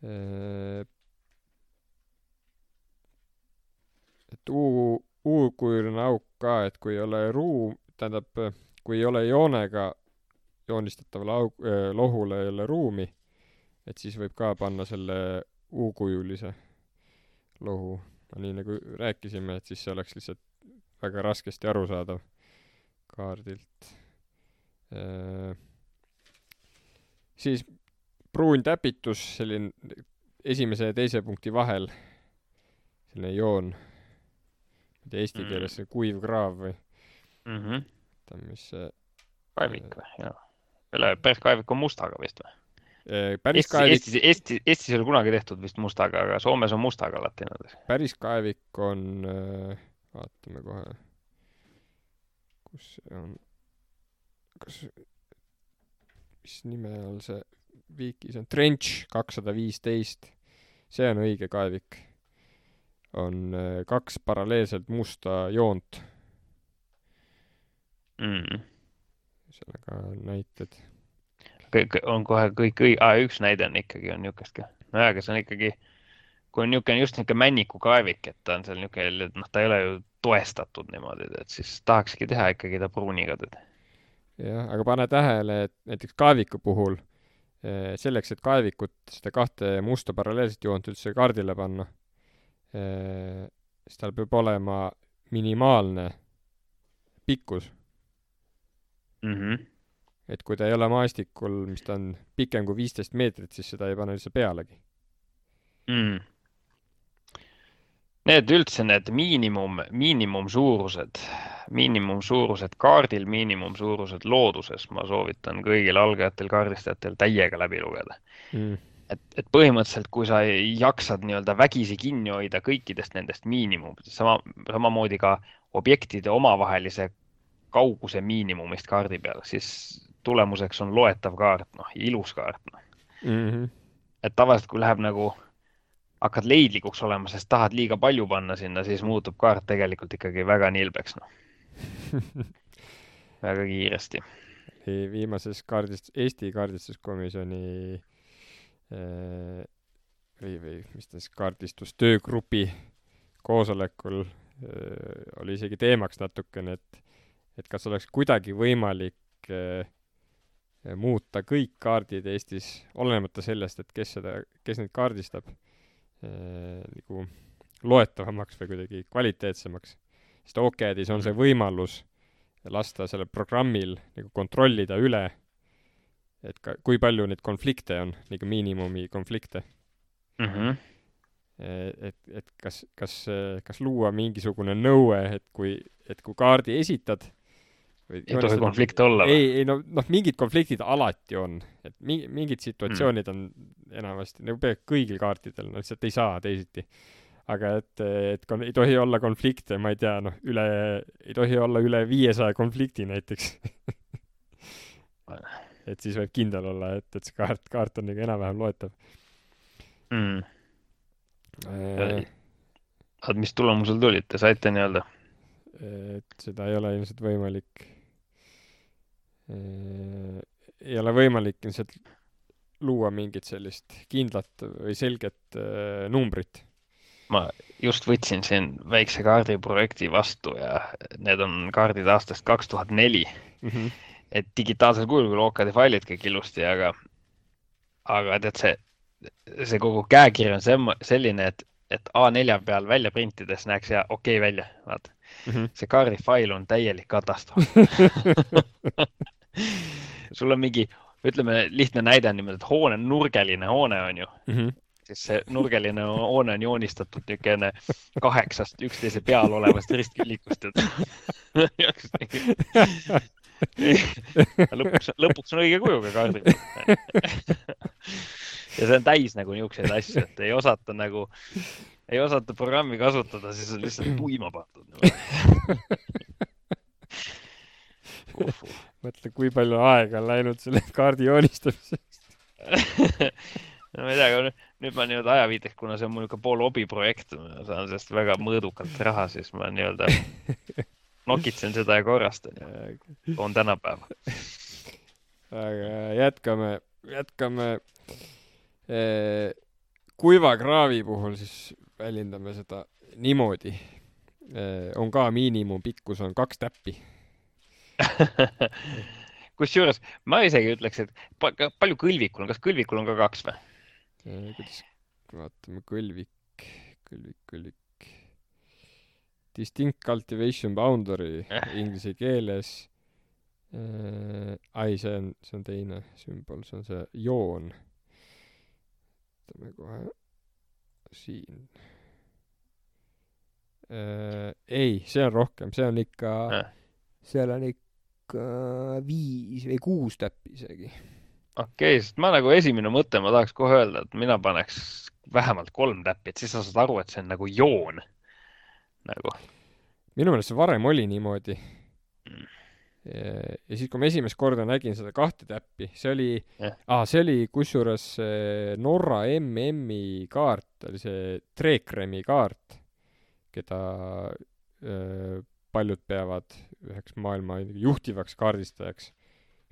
Et U-kujuline auk ka, et kui ei ole kui ei ole joonega joonistatavale lohule ei ole ruumi, et siis võib ka panna selle U-kujulise lohu. Nii nagu rääkisime, et siis see oleks lihtsalt väga raskesti arusaadav kaardilt. Siis pruun täpitus selline esimese ja teise punkti vahel, selline joon, eesti keeles see kuiv kraav või mis see kaevik või? Jah. Päris kaevik on mustaga vist või? Eestis ei ole kunagi tehtud vist mustaga, aga Soomes on mustaga alati. Päris kaevik on, vaatame kohe, kus see on, mis nime all see viikis on, Trench 215, see on õige kaevik. On 2 paralleelselt musta joont. Sellega näited. On kohe kõik, üks näide on ikkagi on niukest ka. No aga see on ikkagi, kui on just niuke männiku kaevik, et ta on seal niuke, ta ei ole ju toestatud niimoodi, et siis tahakski teha ikkagi ta pruuniga teda. Jah, aga pane tähele, et näiteks kaeviku puhul selleks, et kaevikut seda 2 musta paralleelset joont üldse kaardile panna, siis tal peab olema minimaalne pikkus. Et kui ta ei ole maastikul, mis ta on pikem kui 15 meetrit, siis seda ei pane üldse pealegi. Need üldse need miinimumsuurused kaardil, miinimumsuurused looduses, ma soovitan kõigil algajatel kaardistajatel täiega läbi lugeda. mm. Et põhimõtteliselt, kui sa jaksad nii-öelda vägisi kinni hoida kõikidest nendest miinimumidest, samamoodi ka objektide omavahelise kauguse miinimumist kaardi peal, siis tulemuseks on loetav kaart, ilus kaart. Mm-hmm. Et tavaliselt, kui läheb nagu, hakkad leidlikuks olema, sest tahad liiga palju panna sinna, siis muutub kaart tegelikult ikkagi väga nilbeks, väga kiiresti. Viimases Eesti kaardistuskomisjoni või mis ta siis kaardistustöögrupi koosolekul oli isegi teemaks natukene, et kas oleks kuidagi võimalik muuta kõik kaardid Eestis, olenemata sellest, et kes neid kaardistab, nagu loetavamaks või kuidagi kvaliteetsemaks. Sest OCAD-is on see võimalus lasta sellel programmil nagu kontrollida üle, et kui palju neid konflikte on, nagu miinimumi konflikte. Mm-hmm. Et kas luua mingisugune nõue, et kui kaardi esitad ei tohi konflikte olla või? Ei, mingid konfliktid alati on. Et mingid situatsioonid on enamasti, nagu peab kõigil kaartidel, lihtsalt ei saa teisiti. Aga et ei tohi olla konflikte, ma ei tea, ei tohi olla üle 500 konflikti näiteks. Et siis võib kindel olla, et see kaart on nagu enam-vähem loetav. Mis tulemusel tulid? Te saite nii-öelda? Et seda ei ole ilmselt võimalik. Ei ole võimalik ilmselt luua mingit sellist kindlat või selget numbrit. Ma just võtsin siin väikse kaardiprojekti vastu ja need on kaardid aastast 2004. Mm-hmm. Et digitaalsel kujul küll OCAD-i failid kõik ilusti, aga tead see kogu käekiri on selline, et A4 peal välja printides näeks ja okei välja. Vaata. Mm-hmm. See kaardifail on täielik katastroof. Sul on mingi, ütleme lihtne näide on niimoodi, et nurgeline hoone on ju. Mm-hmm. Siis see nurgeline hoone on joonistatud niisugune 8 üksteise peal olevast ristküllikust. lõpuks on õige kujuga kaardid. Ja see on täis nagu niisuguseid asju, et ei osata programmi kasutada, siis on lihtsalt tuima pandud. Mõtle, kui palju aega on läinud selle kaardi joonistamiseks. No ma ei tea, nüüd ma nii-öelda ajaviiteks, kuna see on mul pool hobiprojekt, ma saan sellest väga mõõdukalt raha, siis ma nii-öelda nokitsen seda ja korrastan ja on tänapäeva. Aga jätkame kuiva kraavi puhul siis väljendame seda niimoodi. On ka miinimum pikkus on 2 täppi. Kusjuures ma isegi ütleks, et palju kõlvikul on, kas kõlvikul on ka 2 või? Kuidas vaatame kõlvik. Distinct cultivation boundary inglise keeles. See on teine sümbol, see on see joon. Võtame kohe siin. See on rohkem, see on ikka seal on ikka 5 või 6 täppi isegi. Okei, sest ma nagu esimene mõte, ma tahaks kohe öelda, et mina paneks vähemalt 3 täppi, et siis sa saad aru, et see on nagu joon. Nagu. Minu meelest see varem oli niimoodi. Ja siis, kui ma esimest korda nägin seda 2 täppi, see oli kusjuures Norra MM-i kaart, oli see Trekremi kaart, keda paljud peavad üheks maailma juhtivaks kaardistajaks.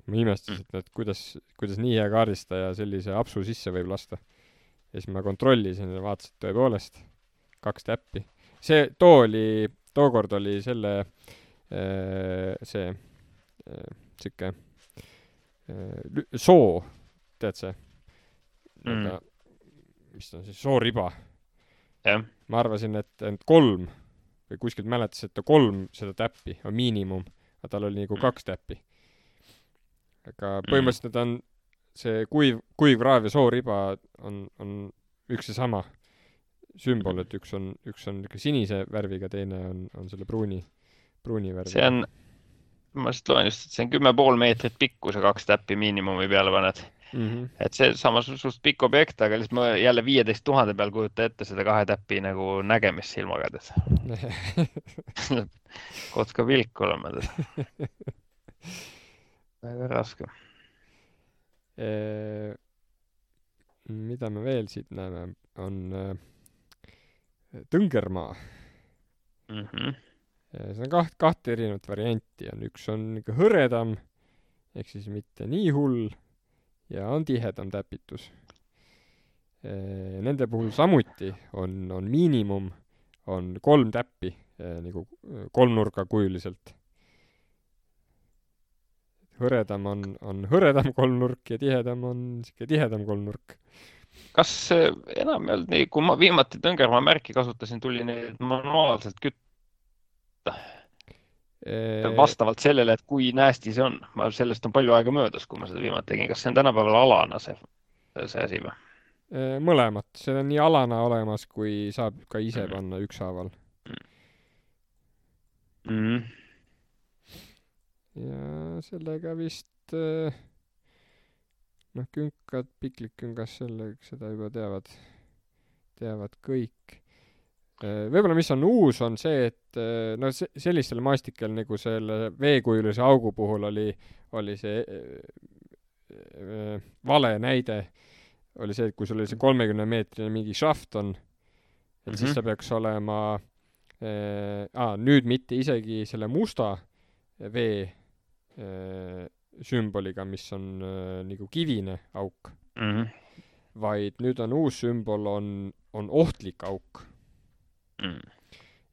Ma imestasin, et kuidas nii hea kaardistaja sellise apsu sisse võib lasta. Ja siis ma kontrollisin ja vaatasin, et tõepoolest 2 täppi. Tookord oli selle siuke soo, tead see? Mis on siis sooriba? Yeah. Ma arvasin, et 3 või kuskilt mäletas, et 3 seda täppi on miinimum, aga tal oli nagu 2 täppi. Aga põhimõtteliselt on see kuiv raav ja sooriba on üks ja sama. sümbol, et üks on ikka sinise värviga, teine on selle pruuni värviga. See on, ma just loen just, et see on 10,5 meetrit pikkus ja 2 täppi miinimumi peale paned. Et see samas suht pikk objekt, aga lihtsalt ma jälle 15 000 peal kujuta ette seda 2 täppi nagu nägemist silmaga. Kotska vilk olema. Väga raske. Mida me veel siit näeme, on Tõngermaa. See on kahte erinevat varianti. Üks on ikka hõredam, ehk siis mitte nii hull, ja on tihedam täpitus. Nende puhul samuti on miinimum, on 3 täppi nagu kolmnurgakujuliselt. Hõredam on hõredam kolmnurk ja tihedam on tihedam kolmnurk. Kas enam ei olnud nii, kui ma viimati Tõngermaa märki kasutasin, tuli neid manuaalselt kütta? Vastavalt sellele, et kui näästi see on. Sellest on palju aega möödas, kui ma seda viimati tegin. Kas see on tänapäeval alana see asi või? Mõlemat. See on nii alana olemas, kui saab ka ise panna ükshaaval. Ja sellega vist künkad, piklikküngas seda juba teavad kõik. Võib-olla mis on uus, on see, et sellistel maastikel nagu selle veekujulise augu puhul oli see vale näide, oli see, et kui sul oli see 30-meetrine mingi šaft on, et siis ta peaks olema nüüd mitte isegi selle musta vee sümboliga, mis on nagu kivine auk, vaid nüüd on uus sümbol, on ohtlik auk.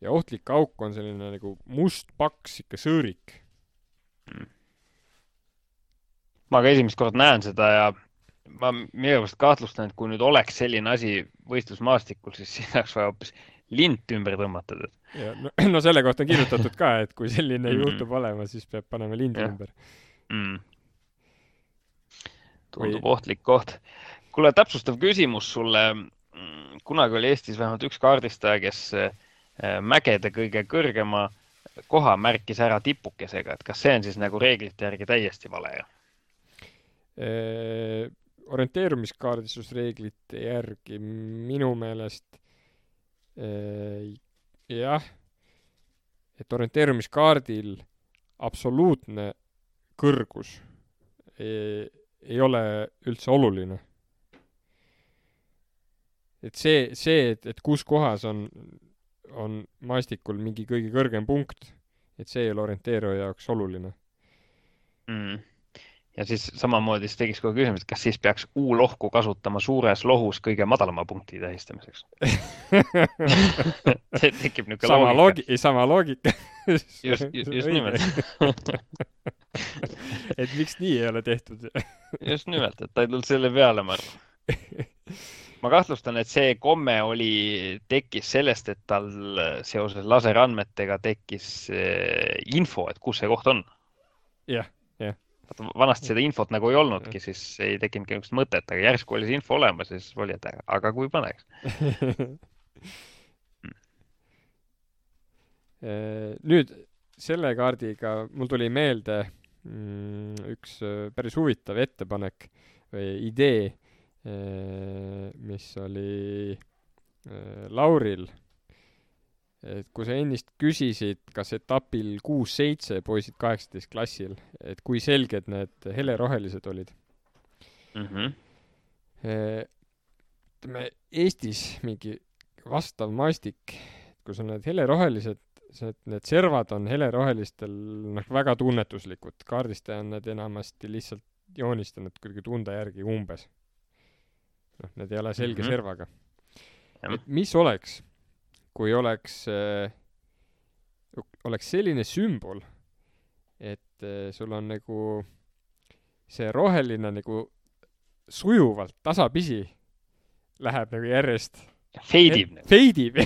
Ja ohtlik auk on selline nagu must paks ikka sõõrik. Ma ka esimest kord näen seda ja ma minu arust kahtlustan, et kui nüüd oleks selline asi võistlusmaastikul, siis siin oleks vaja hoopis lint ümber tõmmata. Ja, no selle kohta on kirjutatud ka, et kui selline juhtub olema, siis peab panema lindi ümber. Tundub ohtlik koht. Kuule, täpsustav küsimus sulle. Kunagi oli Eestis vähemalt üks kaardistaja, kes mägede kõige kõrgema koha märkis ära tipukesega. Et kas see on siis nagu reeglite järgi täiesti vale? Orienteerumiskaardistusreeglite järgi minu meelest jah, et orienteerumiskaardil absoluutne kõrgus ei ole üldse oluline. Et see, et kus kohas on maastikul mingi kõige kõrgem punkt, et see ei ole orienteeruja jaoks oluline. Ja siis samamoodi tegiks kogu küsimus, et kas siis peaks U-lohku kasutama suures lohus kõige madalama punkti tähistamiseks? See tekib niisugune loogika. Sama loogika. Just nimelt. Et miks nii ei ole tehtud? Just nimelt, et ta ei tulnud selle peale, ma arvan. Ma kahtlustan, et see komme tekkis sellest, et tal seoses laserandmetega tekkis info, et kus see koht on. Jah. Vanasti seda infot nagu ei olnudki, siis ei tekkinud niisugust mõtet, aga järsku oli see info olemas, siis oli, et aga kui paneks. Nüüd selle kaardiga mul tuli meelde üks päris huvitav ettepanek või idee, mis oli Lauril. Et kui sa ennist küsisid, kas etapil 6-7 poisid 18 klassil, et kui selged need helerohelised olid. Eestis mingi vastav maastik, kui sul need helerohelised, need servad on helerohelistel väga tunnetuslikud. Kaardistaja on need enamasti lihtsalt joonistanud kuidagi tunda järgi umbes. Need ei ole selge servaga. Et mis oleks, kui oleks selline sümbol, et sul on nagu see roheline nagu sujuvalt tasapisi läheb nagu järjest feidib. Feidib.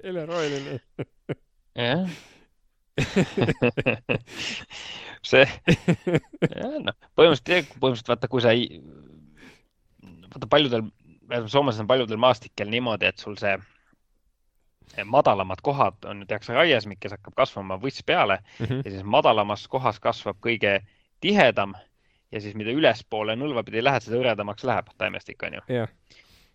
Hele roheline. Jah. See põhimõtteliselt vaata, kui sa vaata paljudel Soomes on paljudel maastikel niimoodi, et sul see madalamad kohad on, tehakse raiesmik, kes hakkab kasvama võss peale ja siis madalamas kohas kasvab kõige tihedam ja siis mida ülespoole nõlva pidi lähed, seda hõredamaks läheb taimestik, on ju.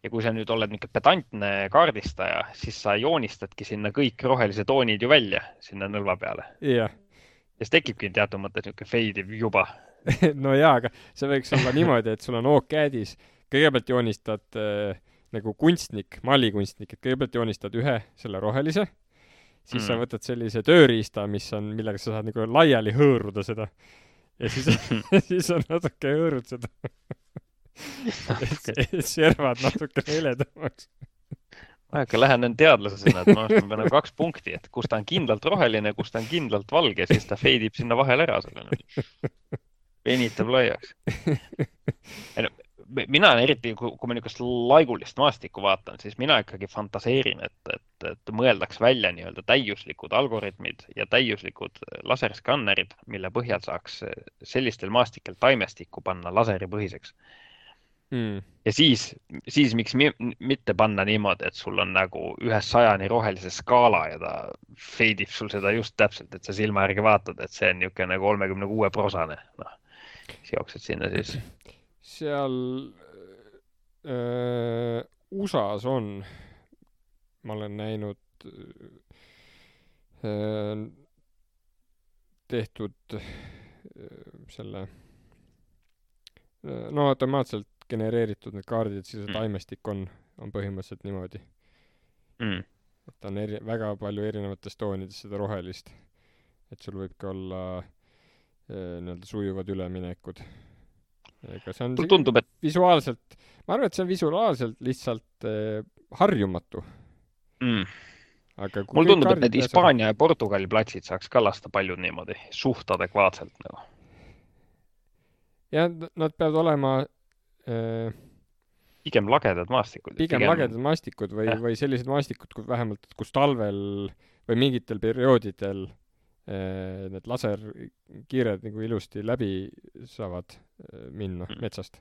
Ja kui sa nüüd oled mingi pedantne kaardistaja, siis sa joonistadki sinna kõik rohelise toonid ju välja sinna nõlva peale. Ja siis tekibki teatud mõttes niisugune feidiv juba. No jaa, aga see võiks olla niimoodi, et sul on OOK-CAD-is, kõigepealt joonistad nagu kunstnik, mallikunstnik, et kõigepealt joonistad ühe selle rohelise, siis sa võtad sellise tööriista, millega sa saad nagu laiali hõõruda seda. Ja siis on natuke hõõrud seda. Servad natuke heledamaks. Ma ikka lähen teadlasena, et ma pean 2 punkti, et kus ta on kindlalt roheline, kus ta on kindlalt valge, siis ta feidib sinna vahel ära selle. Venitab laiaks. Mina eriti, kui ma niisugust laigulist maastikku vaatan, siis mina ikkagi fantaseerin, et mõeldaks välja nii-öelda täiuslikud algoritmid ja täiuslikud laserskannerid, mille põhjal saaks sellistel maastikel taimestikku panna laseripõhiseks. Ja siis miks mitte panna niimoodi, et sul on nagu 100-ni rohelise skaala ja ta feidib sul seda just täpselt, et sa silma järgi vaatad, et see on niisugune 36%. Siis jooksed sinna siis. Seal USAs on, ma olen näinud tehtud selle automaatselt genereeritud need kaardid, siis see taimestik on põhimõtteliselt niimoodi. Et on väga palju erinevates toonides seda rohelist. Et sul võibki olla nii-öelda sujuvad üleminekud. Ega see on tundub, et visuaalselt, ma arvan, et see on visuaalselt lihtsalt harjumatu. Aga mul tundub, et need Hispaania ja Portugali platsid saaks ka lasta paljud niimoodi suht adekvaatselt. Nagu. Ja nad peavad olema pigem lagedad maastikud. Pigem lagedad maastikud või sellised maastikud, vähemalt kus talvel või mingitel perioodidel need laserkiired nagu ilusti läbi saavad minna metsast.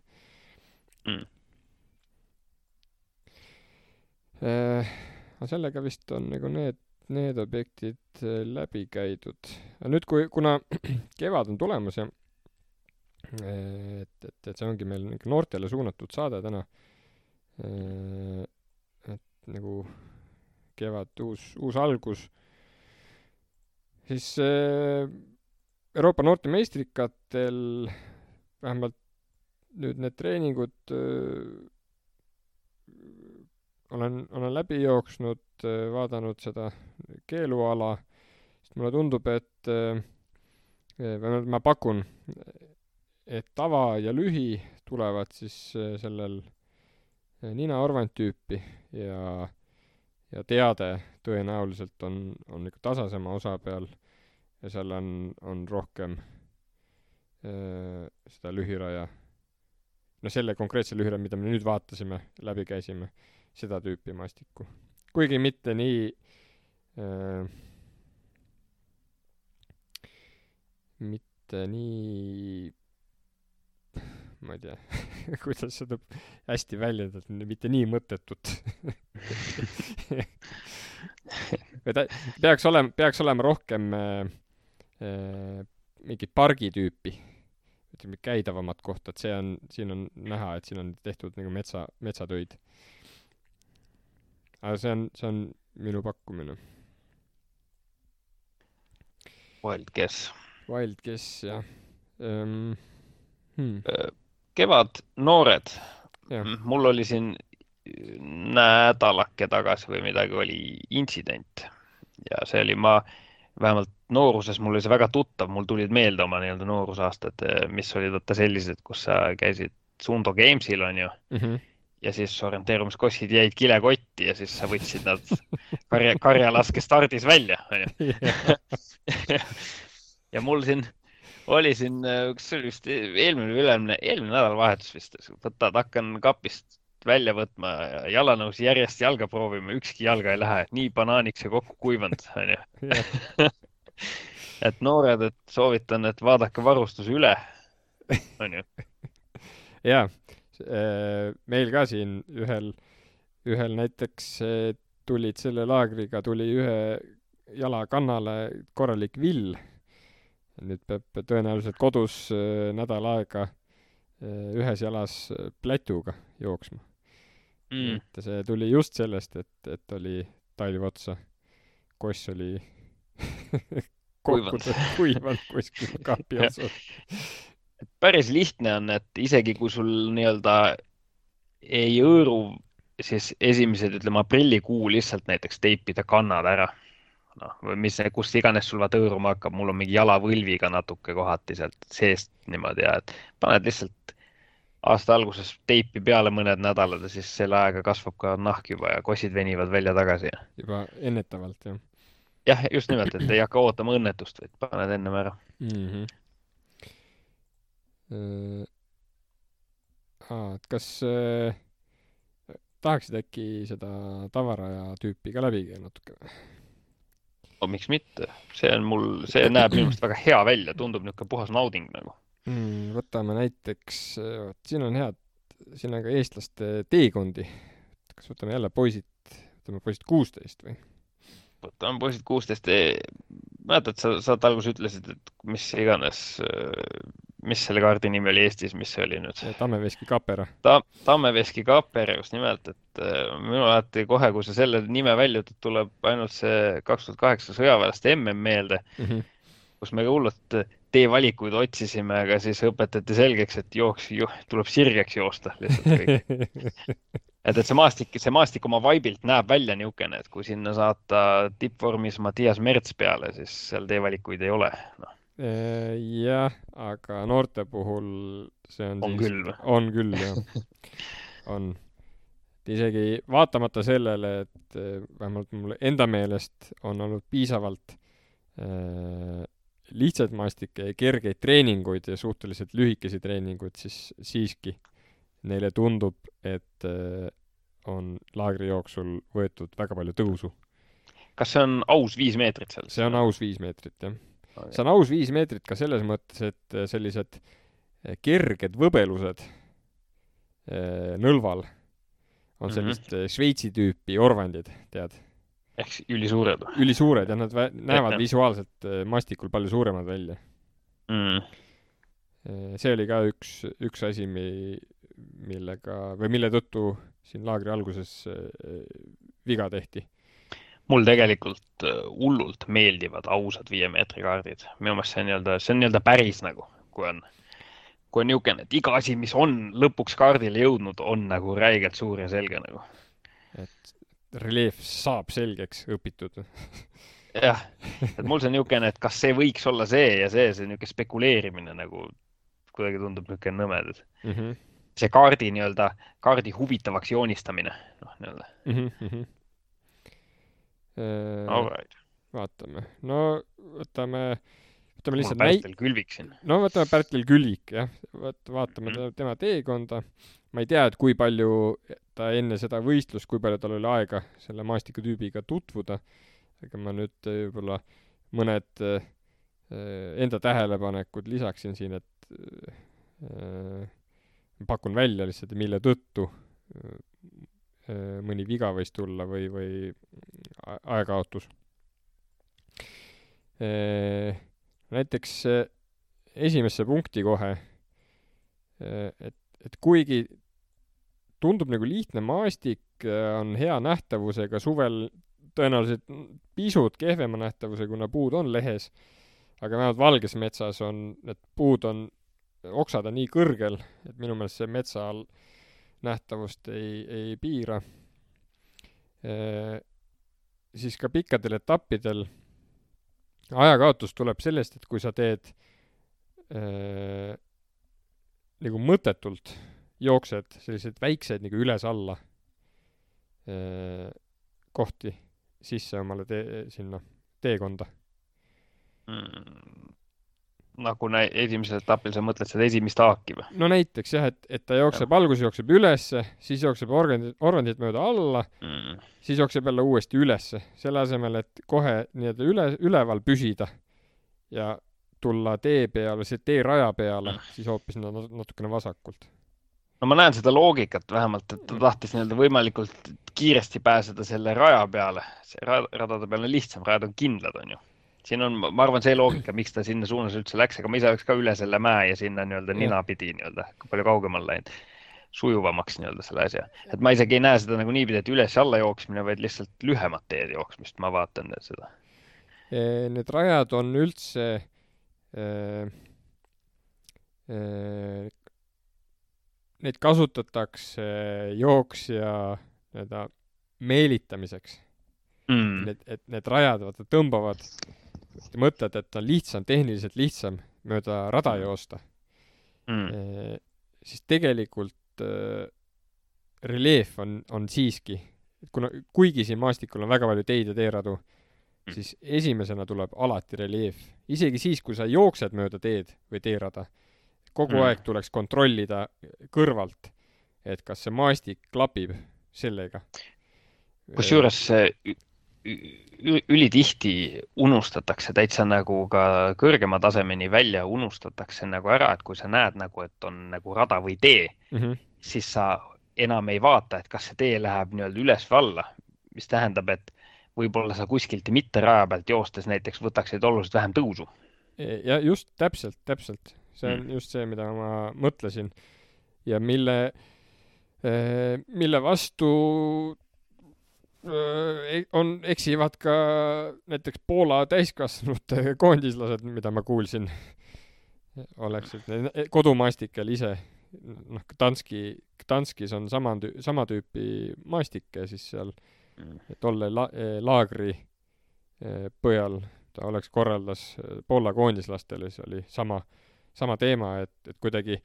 Aga sellega vist on nagu need objektid läbi käidud. Nüüd, kuna kevad on tulemas ja et see ongi meil noortele suunatud saade täna, et nagu kevad uus algus, siis Euroopa noorte meistrikatel vähemalt nüüd need treeningud olen läbi jooksnud, vaadanud seda keeluala, sest mulle tundub, et ma pakun, et tava ja lühi tulevad siis sellel Nina Orvant tüüpi ja teade tõenäoliselt on ikka tasasema osa peal ja seal on rohkem seda lühiraja. No selle konkreetse lühiraja, mida me nüüd vaatasime, läbi käisime, seda tüüpi maastikku. Kuigi mitte nii ma ei tea, kuidas seda hästi väljendada, mitte nii mõttetut. peaks olema rohkem mingi pargi tüüpi, ütleme käidavamat kohta, et siin on näha, et siin on tehtud nagu metsatöid. Aga see on minu pakkumine. Wild guess, jah. Kevad noored. Mul oli siin nädalake tagasi või midagi oli intsident. Ja see oli vähemalt nooruses mul oli see väga tuttav, mul tulid meelde oma nii-öelda noorusaastad, mis olid sellised, kus sa käisid Sundo Gamesil, on ju. Ja siis orienteerumiskossid jäid kilekotti ja siis sa võtsid nad karjalaske stardis välja, on ju. Ja mul oli kas see oli vist eelmine nädalavahetus vist, hakkan kapist välja võtma, jalanõusi järjest jalga proovima, ükski jalga ei lähe, nii banaaniks ja kokku kuivanud, on ju. Et noored, et soovitan, et vaadake varustuse üle, on ju. Jaa, Meil ka siin ühel näiteks tulid selle laagriga, tuli ühe jala kannale korralik vill. Nüüd peab tõenäoliselt kodus nädal aega ühes jalas plätuga jooksma. Et see tuli just sellest, et oli talv otsa. Koss oli kuivanud kuskil kaapi otsas. Päris lihtne on, et isegi kui sul nii-öelda ei õõru, siis esimesed, ütleme, aprillikuu lihtsalt näiteks teipida kannad ära. Või kust iganes sul vaata õõruma hakkab, mul on mingi jalavõlviga natuke kohati sealt seest niimoodi ja et paned lihtsalt aasta alguses teipi peale mõned nädalad ja siis selle aega kasvab ka nahk juba ja kossid venivad välja tagasi. Juba ennetavalt, jah. Jah, just nimelt, et ei hakka ootama õnnetust, vaid paned ennem ära. Kas tahaksid äkki seda tavaraja tüüpi ka läbi käia natuke? Miks mitte? See näeb minu meelest väga hea välja, tundub niisugune puhas nauding nagu. Võtame näiteks, siin on siin on ka eestlaste teekondi. Kas võtame jälle poisid 16 või? Võtame poisid 16. Mäletad, sa alguses ütlesid, et mis iganes, mis selle kaardi nimi oli Eestis, mis see oli nüüd? Tammeveski Kapera. Tammeveski Kapera, just nimelt, et minu alati kohe, kui sa selle nime välja ütled, tuleb ainult see 2008 sõjaväelaste MM meelde, kus me ka hullult teevalikuid otsisime, aga siis õpetati selgeks, et tuleb sirgeks joosta lihtsalt kõik. Et see maastik oma vaibilt näeb välja niisugune, et kui sinna saata tippvormis Mattias Merts peale, siis seal teevalikuid ei ole. Jah, aga noorte puhul see on küll. On küll, jah. On. Isegi vaatamata sellele, et vähemalt mul enda meelest on olnud piisavalt lihtsaid maastikke ja kergeid treeninguid ja suhteliselt lühikesi treeninguid, siis siiski neile tundub, et on laagri jooksul võetud väga palju tõusu. Kas see on aus 5 meetrit seal? See on aus 5 meetrit, jah. See on aus 5 meetrit ka selles mõttes, et sellised kerged võbelused nõlval on sellist Šveitsi tüüpi orvandid, tead? Ehk ülisuured? Ülisuured, ja nad näevad visuaalselt mastikul palju suuremad välja. See oli ka üks asi, mille tõttu siin laagri alguses viga tehti. Mul tegelikult hullult meeldivad ausad 5 meetri kaardid. Minu meelest see on nii-öelda päris nagu, kui on niisugune, et iga asi, mis on lõpuks kaardile jõudnud, on nagu räigelt suur ja selge nagu. Et reljeef saab selgeks õpitud. Jah, et mul see on niisugune, et kas see võiks olla see ja see niisugune spekuleerimine nagu kuidagi tundub niisugune nõmed. See kaardi huvitavaks joonistamine. Vaatame. No võtame lihtsalt Pärtel Külvik siin. No võtame Pärtel Külvik, jah. Vaatame tema teekonda. Ma ei tea, et kui palju ta enne seda võistlust, kui palju tal oli aega selle maastikutüübiga tutvuda. Aga ma nüüd võib-olla mõned enda tähelepanekud lisaksin siin, et pakun välja lihtsalt, mille tõttu mõni viga võis tulla või aekaotus. Näiteks esimesse punkti kohe, et kuigi tundub nagu lihtne maastik, on hea nähtavusega, suvel tõenäoliselt pisut kehvema nähtavuse, kuna puud on lehes, aga vähemalt valges metsas need puud oksad on nii kõrgel, et minu meelest see metsa all nähtavust ei piira. Siis ka pikkadel etappidel ajakaotus tuleb sellest, et kui sa teed nagu mõttetult jooksed sellised väiksed nagu üles-alla kohti sisse omale sinna teekonda. Nagu esimesel etapil sa mõtled seda esimest haaki või? No näiteks jah, et ta alguses jookseb ülesse, siis jookseb orvandit mööda alla, siis jookseb jälle uuesti ülesse, selle asemel, et kohe nii-öelda üleval püsida ja tulla tee peale, see teeraja peale, siis hoopis natukene vasakult. No no ma näen seda loogikat vähemalt, et ta tahtis nii-öelda võimalikult kiiresti pääseda selle raja peale. See radade peal on lihtsam, rajad on kindlad, on ju. Siin on, ma arvan, see loogika, miks ta sinna suunas üldse läks, aga ma ise oleks ka üle selle mäe ja sinna nii-öelda ninapidi nii-öelda palju kaugemal läinud. Sujuvamaks nii-öelda selle asja. Et ma isegi ei näe seda nagu niipidi, et üles ja alla jooksmine, vaid lihtsalt lühemat teed jooksmist. Ma vaatan seda. Need rajad on üldse neid kasutatakse jooksja meelitamiseks. Et need rajad tõmbavad, mõtled, et on lihtsam, tehniliselt lihtsam mööda rada joosta. Siis tegelikult reljeef on siiski, kuigi siin maastikul on väga palju teid ja teeradu, siis esimesena tuleb alati reljeef. Isegi siis, kui sa jooksed mööda teed või teerada, kogu aeg tuleks kontrollida kõrvalt, et kas see maastik klapib sellega. Kusjuures ülitihti unustatakse täitsa nagu ka kõrgema tasemeni välja unustatakse nagu ära, et kui sa näed nagu, et on nagu rada või tee, siis sa enam ei vaata, et kas see tee läheb nii-öelda üles või alla, mis tähendab, et võib-olla sa kuskilt mitte raja pealt joostes näiteks võtaksid oluliselt vähem tõusu. Ja just täpselt. See on just see, mida ma mõtlesin ja mille vastu eksivad ka näiteks Poola täiskasvanute koondislased, mida ma kuulsin, oleksid kodumaastikel ise. Gdanskis on sama tüüpi maastike, siis seal tolle laagri põhjal ta oleks korraldas Poola koondislastele, see oli sama teema, et kuidagi,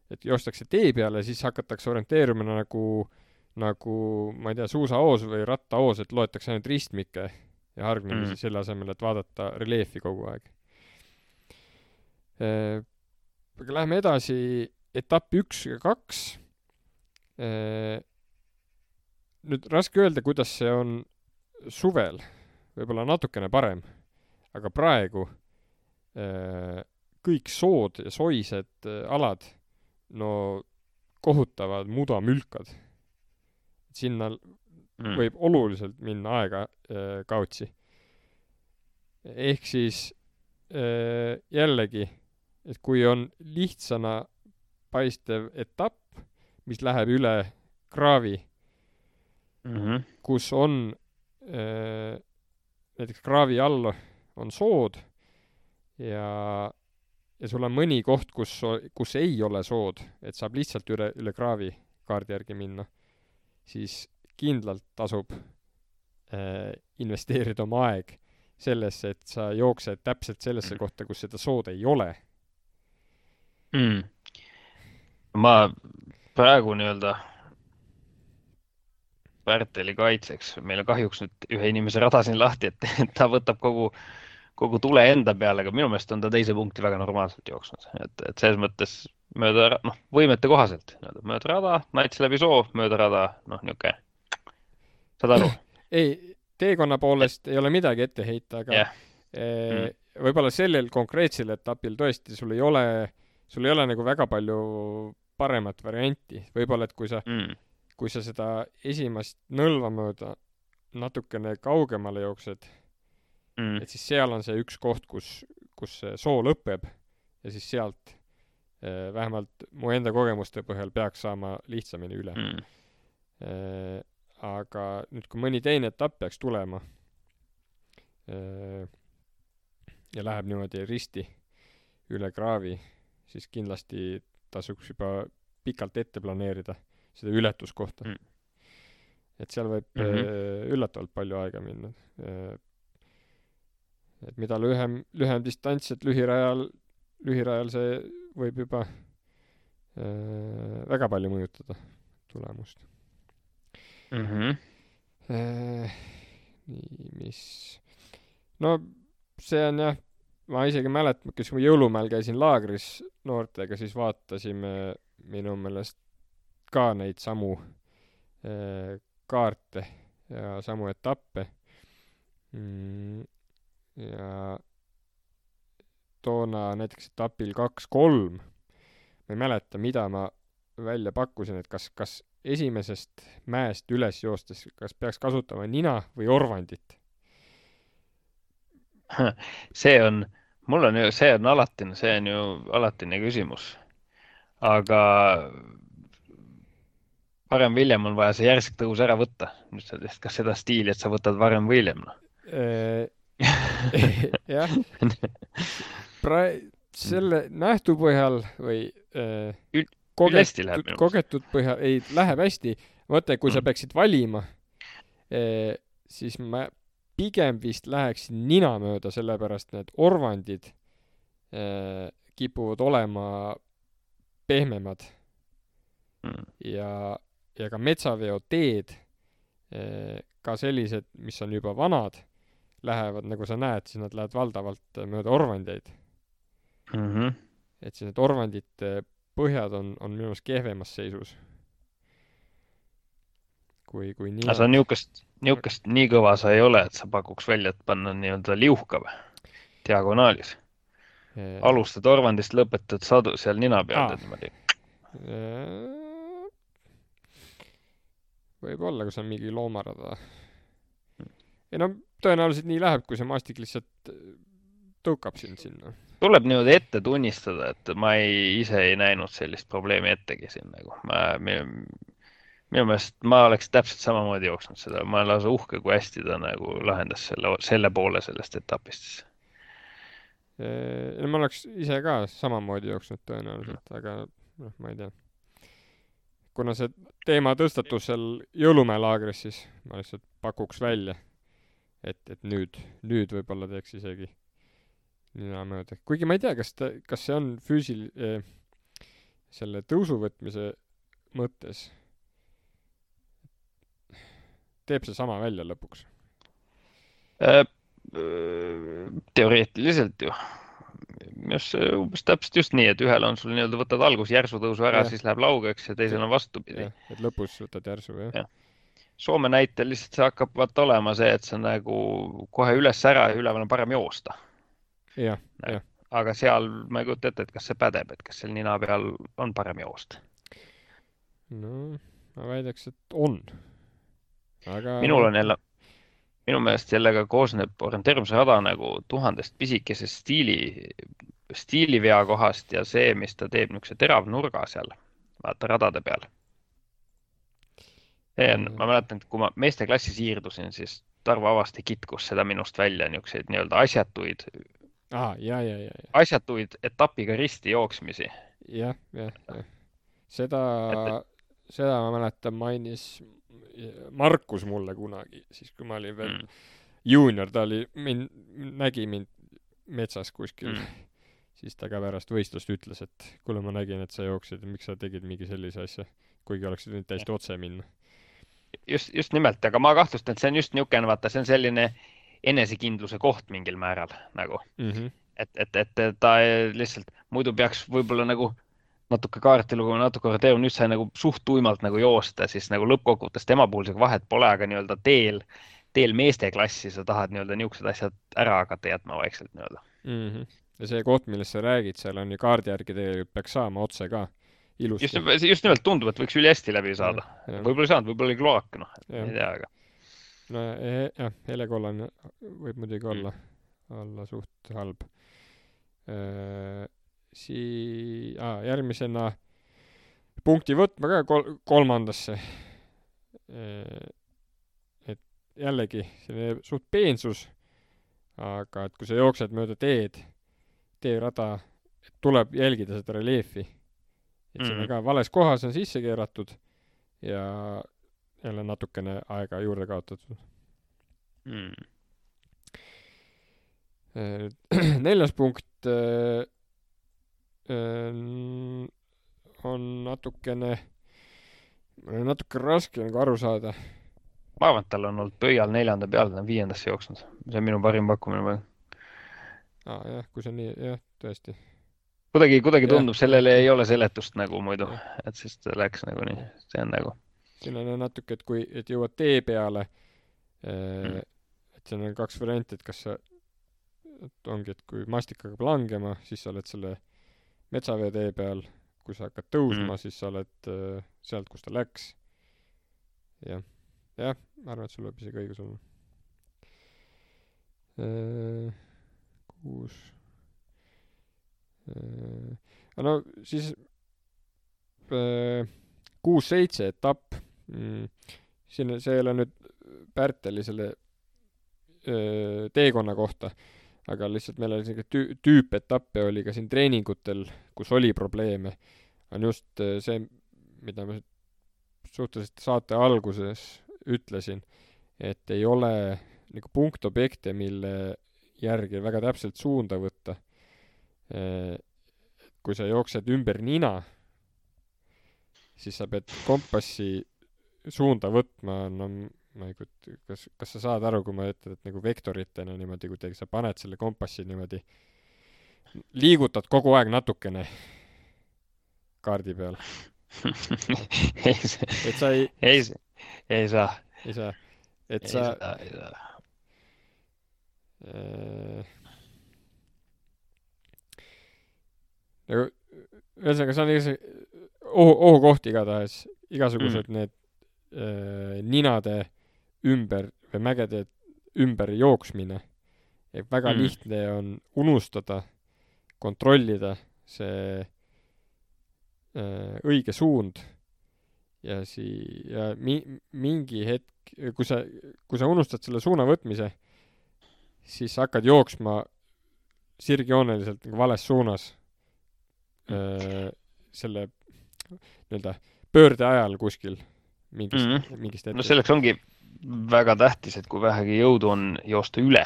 et joostakse tee peale, siis hakatakse orienteerumine nagu, ma ei tea, suusaoos või rattaoos, et loetakse ainult ristmikke ja hargnemisi selle asemel, et vaadata reljeefi kogu aeg. Aga läheme edasi etapp 1 ja 2. Nüüd raske öelda, kuidas see on suvel, võib-olla natukene parem, aga praegu kõik sood ja soised alad kohutavad mudamülkad. Sinna võib oluliselt minna aega kaotsi. Ehk siis jällegi, et kui on lihtsana paistev etapp, mis läheb üle kraavi, kus on näiteks kraavi all on sood ja sul on mõni koht, kus ei ole sood, et saab lihtsalt üle kraavi kaardi järgi minna, siis kindlalt tasub investeerida oma aeg sellesse, et sa jooksed täpselt sellesse kohta, kus seda sood ei ole. Ma praegu nii-öelda Pärteli kaitseks, meil on kahjuks nüüd ühe inimese rada siin lahti, et ta võtab kogu tule enda peale, aga minu meelest on ta teise punkti väga normaalselt jooksnud. Et selles mõttes mööda, võimete kohaselt, mööda rada, nats läbi soo, mööda rada, niuke. Saad aru? Ei, teekonna poolest ei ole midagi ette heita, aga võib-olla sellel konkreetsel etapil tõesti sul ei ole nagu väga palju paremat varianti. Võib-olla, et kui sa seda esimest nõlva mööda natukene kaugemale jooksed, et siis seal on see üks koht, kus see soo lõpeb ja siis sealt vähemalt mu enda kogemuste põhjal peaks saama lihtsamini üle. Aga nüüd, kui mõni teine etapp peaks tulema ja läheb niimoodi risti üle kraavi, siis kindlasti tasuks juba pikalt ette planeerida seda ületuskohta. Et seal võib üllatavalt palju aega minna. Et mida lühem distants, et lühirajal see võib juba väga palju mõjutada tulemust. Nii, see on jah, ma isegi mäletan, kes ma jõulumäel käisin laagris noortega, siis vaatasime minu meelest ka neid samu kaarte ja samu etappe. Ja toona näiteks etapil 2-3 ma ei mäleta, mida ma välja pakkusin, et kas esimesest mäest üles joostes, kas peaks kasutama nina või orvandit? see on, see on alatine küsimus. Aga varem või hiljem on vaja see järsk tõus ära võtta. Kas seda stiili, et sa võtad varem või hiljem? Jah. Selle nähtu põhjal või kogetud põhjal ei, läheb hästi. Mõtle, kui sa peaksid valima, siis ma pigem vist läheksin nina mööda, sellepärast need orvandid kipuvad olema pehmemad ja ka metsaveoteed, ka sellised, mis on juba vanad, lähevad, nagu sa näed, siis nad lähevad valdavalt mööda orvandeid. Et siis need orvandite põhjad on minu meelest kehvemas seisus. Kui nina. Aga sa niukest nii kõva sa ei ole, et sa pakuks välja, et panna nii-öelda liuhka või? Diagonaalis. Alustad orvandist, lõpetad sadu seal nina peal. Võib-olla, kui see on mingi loomarada. Ei no, tõenäoliselt nii läheb, kui see maastik lihtsalt tõukab sind sinna. Tuleb niimoodi ette tunnistada, et ma ise ei näinud sellist probleemi ettegi siin. Minu meelest ma oleks täpselt samamoodi jooksnud seda. Ma olen lausa uhke, kui hästi ta nagu lahendas selle poole sellest etapist. Ma oleks ise ka samamoodi jooksnud tõenäoliselt, aga ma ei tea. Kuna see teema tõstatus seal Jõulumäe laagris, siis ma lihtsalt pakuks välja, et nüüd võib-olla teeks isegi nina mööda. Kuigi ma ei tea, kas see on selle tõusu võtmise mõttes teeb see sama välja lõpuks? Teoreetiliselt ju. Umbes täpselt just nii, et ühel on sul nii-öelda võtad algus järsu tõusu ära, siis läheb laugeks ja teisel on vastupidi. Et lõpus võtad järsu, jah. Soome näitel lihtsalt see hakkab olema see, et see nagu kohe üles ära ja üleval on parem joosta. Ja. Aga seal ma ei kujuta ette, et kas see pädeb, et kas seal nina peal on parem joosta. No, ma väidaks, et on. Aga minu meelest sellega koosneb orienteerumise rada nagu 1000 pisikesest stiilivea kohast ja see, mis ta teeb niisuguse terav nurga seal, vaata radade peal. Ma mäletan, et kui ma meesteklassi siirdusin, siis Tarvo Avasti kitkus seda minust välja niisuguseid nii-öelda asjatuid etapiga risti jooksmisi. Jah. Seda ma mäletan mainis Markus mulle kunagi, siis kui ma olin veel juunior, ta nägi mind metsas kuskil, siis ta ka pärast võistlust ütles, et kuule, ma nägin, et sa jooksid, miks sa tegid mingi sellise asja, kuigi oleksid nüüd täiesti otse minna. Just nimelt, aga ma kahtlustan, et see on just niisugune, vaata, see on selline enesekindluse koht mingil määral nagu. Et ta lihtsalt muidu peaks võib-olla nagu natuke kaartilu, kui ma natuke orienteerun, nüüd sai nagu suht tuimalt nagu joosta, siis nagu lõppkokkuvõttes tema puhul see vahet pole, aga nii-öelda teel meesteklassi sa tahad nii-öelda niisugused asjad ära hakata jätma vaikselt nii-öelda. Ja see koht, millest sa räägid, seal on ju kaardi järgi tegelikult peaks saama otse ka ilusti. Just nimelt tundub, et võiks üli hästi läbi saada. Võib-olla ei saanud, võib-olla oli kloak, ei tea, aga. No jah, helekollane võib muidugi olla suht halb. Järgmisena punkti võtma ka kolmandasse. Et jällegi selline suht peensus, aga et kui sa jooksed mööda teerada, tuleb jälgida seda reljeefi. Et see ka vales kohas on sisse keeratud ja jälle natukene aega juurde kaotatud. 4. punkt on natuke raske nagu aru saada. Ma arvan, et tal on olnud pöial 4. peal, ta on 5. jooksnud. See on minu parim pakkumine. Jah, kui see on nii, jah, tõesti. Kuidagi tundub, sellele ei ole seletust nagu muidu, et siis ta läks nagu nii, see on nagu. Siin on natuke, et jõuad tee peale, et siin on 2 varianti, et kas sa, et ongi, et kui maastik hakkab langema, siis sa oled selle metsavee tee peal, kui sa hakkad tõusma, siis sa oled sealt, kus ta läks. Jah, ma arvan, et sul võib isegi õigus olla. 6. No siis 6-7 etapp. Siin see ei ole nüüd Pärteli selle teekonna kohta, aga lihtsalt meil oli selline tüüpetappe oli ka siin treeningutel, kus oli probleeme. On just see, mida ma suhteliselt saate alguses ütlesin, et ei ole nagu punktobjekte, mille järgi väga täpselt suunda võtta. Kui sa jooksed ümber nina, siis sa pead kompassi suunda võtma, no ma ei kujuta, kas sa saad aru, kui ma ütlen, et nagu vektoritena niimoodi, kui sa paned selle kompassi niimoodi, liigutad kogu aeg natukene kaardi peal. Et sa ei saa. Et sa nagu ühesõnaga, see on ohukoht igatahes, igasugused need ninade ümber või mägede ümber jooksmine. Et väga lihtne on unustada, kontrollida see õige suund ja mingi hetk, kui sa unustad selle suuna võtmise, siis sa hakkad jooksma sirgjooneliselt nagu vales suunas selle nii-öelda pöörde ajal kuskil mingist hetkest. No selleks ongi väga tähtis, et kui vähegi jõudu on joosta üle.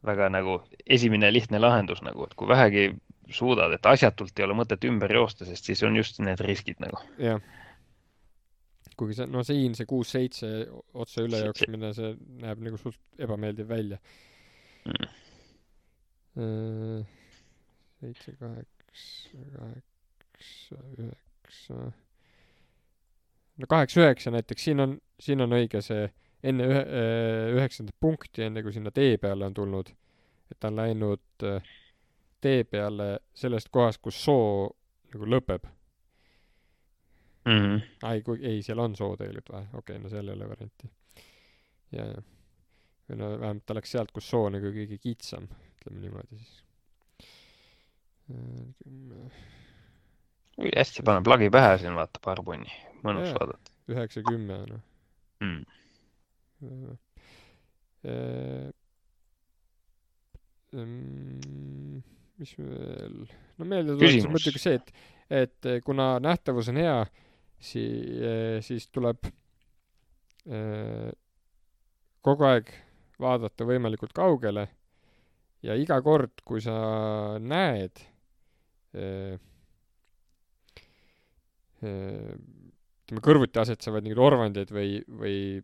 Väga nagu esimene lihtne lahendus, nagu, et kui vähegi suudad, et asjatult ei ole mõtet ümber joosta, sest siis on just need riskid nagu. Jah. Kuigi see 6-7 otsa üle jooksmine, see näeb nagu sult ebameeldiv välja. 7, 8, 9. No 8-9 näiteks, siin on õige see enne 9. punkti, enne kui sinna tee peale on tulnud, et ta on läinud tee peale sellest kohast, kus soo nagu lõpeb. Ei, seal on soo tegelikult või? Okei, no seal ei ole varianti. Ja. Või no vähemalt ta läks sealt, kus soo nagu kõige kitsam, ütleme niimoodi siis. Hästi paneb lagi pähe siin, vaata parpunni. Mõnus vaadata. 9-10, noh. Mis veel? No meelde tuletas muidugi see, et kuna nähtavus on hea, siis tuleb kogu aeg vaadata võimalikult kaugele ja iga kord, kui sa näed kõrvuti asetsevad mingid orvandeid või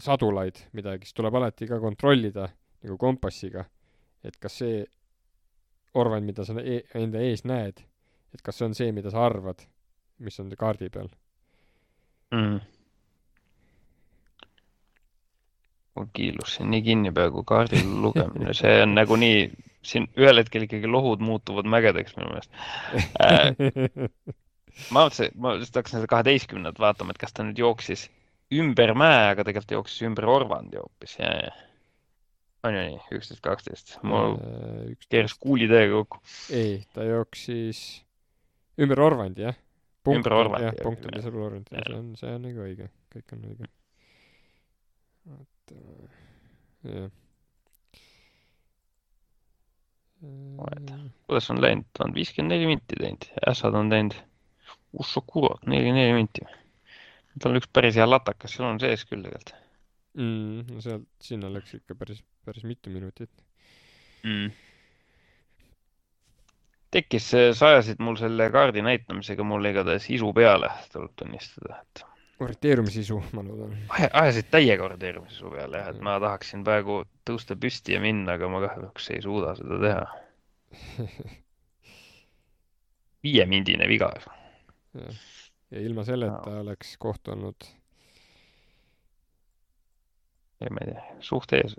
sadulaid midagi, siis tuleb alati ka kontrollida nagu kompassiga, et kas see orvand, mida sa enda ees näed, et kas see on see, mida sa arvad, mis on kaardi peal. Mul kiilus siin nii kinni peaaegu kaardil lugemine. See on nagu nii, siin ühel hetkel ikkagi lohud muutuvad mägedeks minu meelest. Ma just hakkasin seda 12 vaatama, et kas ta nüüd jooksis ümber mäe, aga tegelikult jooksis ümber orvandi hoopis. On ju nii, 11-12. Mul keeras kuuli täiega kokku. Ei, ta jooksis ümber orvandi, jah. Ümber orvandi. Jah, punkt oli seal orvandi. See on nagu õige. Kõik on õige. Jah. Kuidas on läinud? Ta on 54 minti teinud. Ässad on teinud Ušokurot, 44 minti. Tal on üks päris hea latakas, seal on sees küll tegelikult. No sealt sinna läks ikka päris mitu minutit. Tekkis, sa ajasid mul selle kaardi näitamisega mul igatahes isu peale, tuleb tunnistada. Orienteerumissisu, ma loodan. Ajasid täiega orienteerumissisu peale, et ma tahaksin praegu tõusta püsti ja minna, aga ma kahjuks ei suuda seda teha. 5-mindine viga. Ja ilma selleta oleks koht olnud. Ei, ma ei tea, suht ees.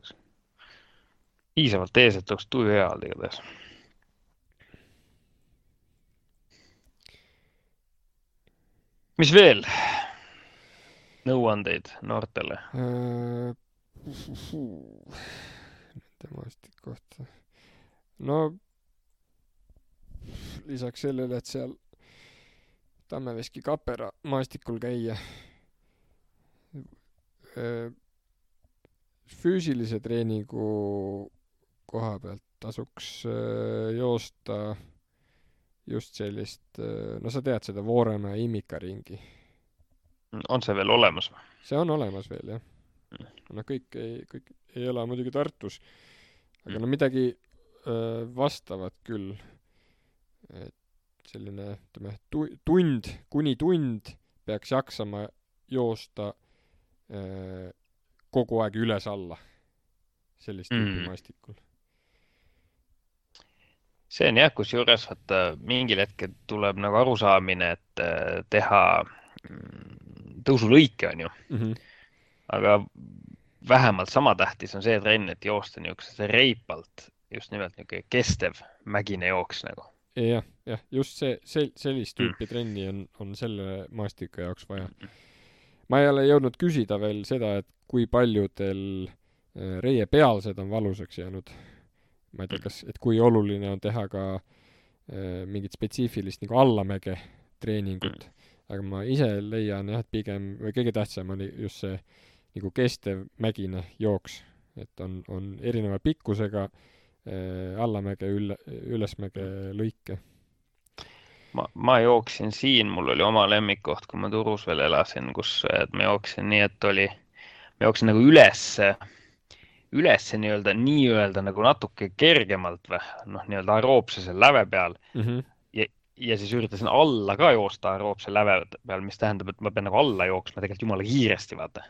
Piisavalt ees, et oleks tuju hea igatahes. mis veel? Nõuandeid noortele. Nende maastik kohta. No lisaks sellele, et seal Tammeveski Kapera maastikul käia, füüsilise treeningu koha pealt tasuks joosta just sellist, no sa tead seda Vooremäe Imika ringi. On see veel olemas? See on olemas veel, jah. No kõik ei ela muidugi Tartus, aga no midagi vastavat küll. Et selline, ütleme, kuni tund peaks jaksama joosta kogu aeg üles-alla sellist tüüpi maastikul. See on jah, kusjuures, et mingil hetkel tuleb nagu arusaamine, et teha tõusulõike, on ju. Aga vähemalt sama tähtis on see trenn, et joosta niisuguse reipalt, just nimelt niisugune kestev mägine jooks nagu. Jah, just sellist tüüpi trenni on selle maastiku jaoks vaja. Ma ei ole jõudnud küsida veel seda, et kui paljudel reie pealsed on valusaks jäänud. Ma ei tea, et kui oluline on teha ka mingit spetsiifilist nagu allamäge treeningut. Aga ma ise leian jah, et pigem, või kõige tähtsam on just see nagu kestev mägine jooks. Et on erineva pikkusega allamäge, ülesmäge lõike. Ma jooksin siin, mul oli oma lemmikkoht, kui ma Turus veel elasin, kus ma jooksin nii, et ma jooksin nagu üles nii-öelda nagu natuke kergemalt või, nii-öelda aeroobsese läve peal. Ja siis üritasin alla ka joosta aeroobse läve peal, mis tähendab, et ma pean nagu alla jooksma tegelikult jumala kiiresti, vaata.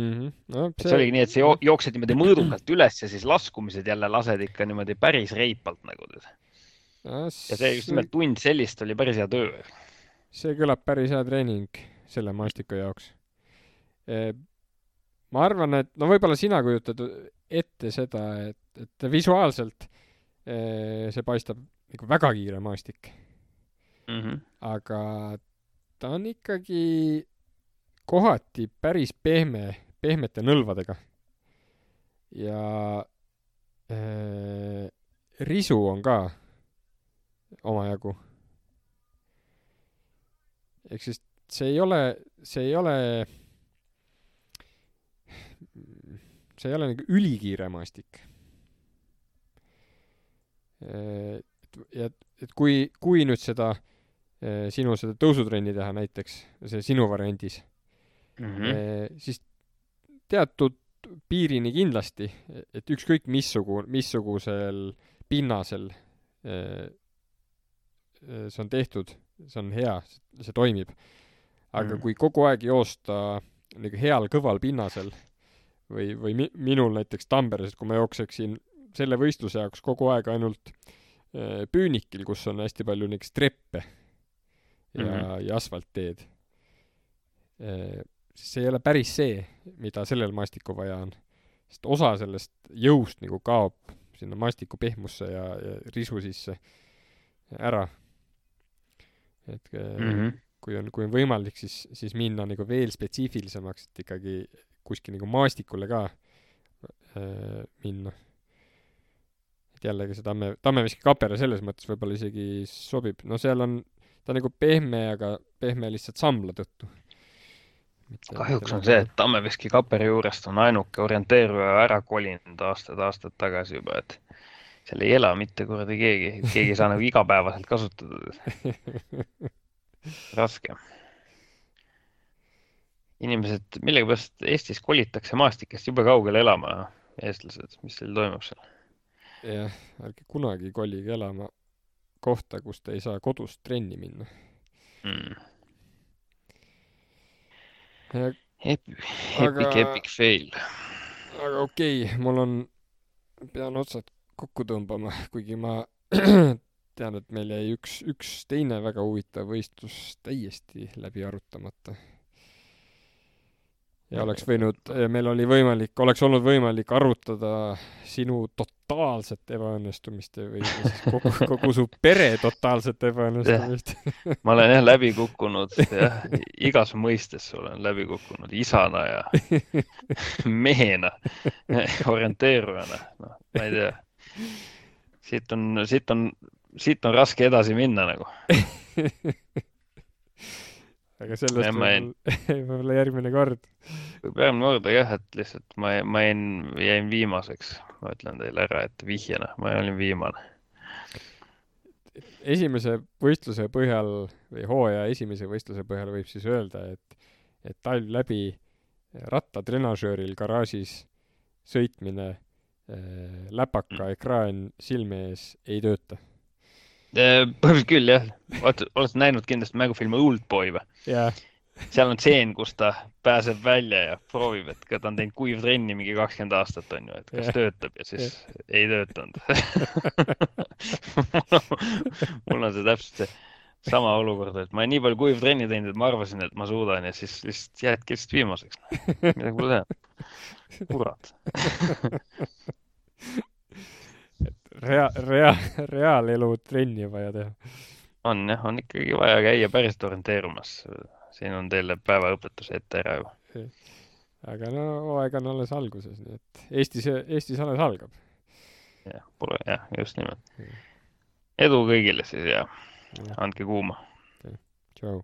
No, see oligi nii, et see jooksed niimoodi mõõdukalt üles ja siis laskumised jälle lased ikka niimoodi päris reipalt nagu. Ja see just nimelt tund sellist oli päris hea töö. See kõlab päris hea treening selle maastiku jaoks. Ma arvan, et võib-olla sina kujutad ette seda, et visuaalselt see paistab nagu väga kiire maastik. Aga ta on ikkagi kohati päris pehmete nõlvadega. Ja risu on ka omajagu. Ehk siis see ei ole nagu ülikiire maastik. Et kui nüüd seda sinu seda tõusutrenni teha näiteks, see sinu variandis, siis teatud piirini kindlasti, et ükskõik missugusel pinnasel see on tehtud, see on hea, see toimib. Aga kui kogu aeg joosta nagu heal kõval pinnasel või minul näiteks Tamberes, kui ma jookseksin selle võistluse jaoks kogu aeg ainult püünikil, kus on hästi palju näiteks treppe ja asfaltteed. See ei ole päris see, mida sellel maastiku vaja on. Sest osa sellest jõust nagu kaob sinna maastiku pehmusse ja risu sisse ära. Et kui on võimalik, siis minna nagu veel spetsiifilisemaks, et ikkagi kuskil nagu maastikule ka minna. Et jällegi see Tammeveski Kapera selles mõttes võib-olla isegi sobib. No seal on ta nagu pehme, aga pehme lihtsalt sambla tõttu. Kahjuks on see, et Tammeveski Kapera juurest on ainuke orienteeruja ära kolinud aastad tagasi juba, et seal ei ela mitte kuradi keegi ei saa nagu igapäevaselt kasutada. Raske. Inimesed, millegipärast Eestis kolitakse maastikest jube kaugele elama, eestlased, mis teil toimub seal? Jah, ärge kunagi kolige elama kohta, kus te ei saa kodust trenni minna. Epic fail. Aga okei, pean otsad kokku tõmbama, kuigi ma tean, et meil jäi üks teine väga huvitav võistlus täiesti läbi arutamata. ja meil oli oleks olnud võimalik arutada sinu totaalset ebaõnnestumist või siis kogu su pere totaalset ebaõnnestumist. Ma olen jah läbi kukkunud, jah, igas mõistes olen läbi kukkunud, isana ja mehena, orienteerujana, no, ma ei tea. Siit on raske edasi minna nagu. Aga sellest võib-olla järgmine kord. Järgmine kord, jah, et lihtsalt ma jäin viimaseks. Ma ütlen teile ära, et vihjena, ma olin viimane. Esimese võistluse põhjal või hooaja esimese võistluse põhjal võib siis öelda, et talv läbi rattatrenažööril garaažis sõitmine läpaka ekraan silme ees ei tööta. Põhimõtteliselt küll, jah. Oled näinud kindlasti mängufilmi Oldboy või? Yeah. Seal on tseen, kus ta pääseb välja ja proovib, et ta on teinud kuivtrenni mingi 20 aastat, on ju, et kas töötab ja siis ei töötanud. Mul on see täpselt see sama olukord, et ma olen nii palju kuivtrenni teinud, et ma arvasin, et ma suudan ja siis lihtsalt jäädki lihtsalt viimaseks. Midagi pole teha. Kurat. Reaalelu trenni vaja teha. On ikkagi vaja käia päriselt orienteerumas. Siin on teile päevaõpetus ette ära juba. Aga no hooaeg on alles alguses, nii et Eestis alles algab. Jah, just nimelt. Edu kõigile siis ja andke kuuma. Tšau.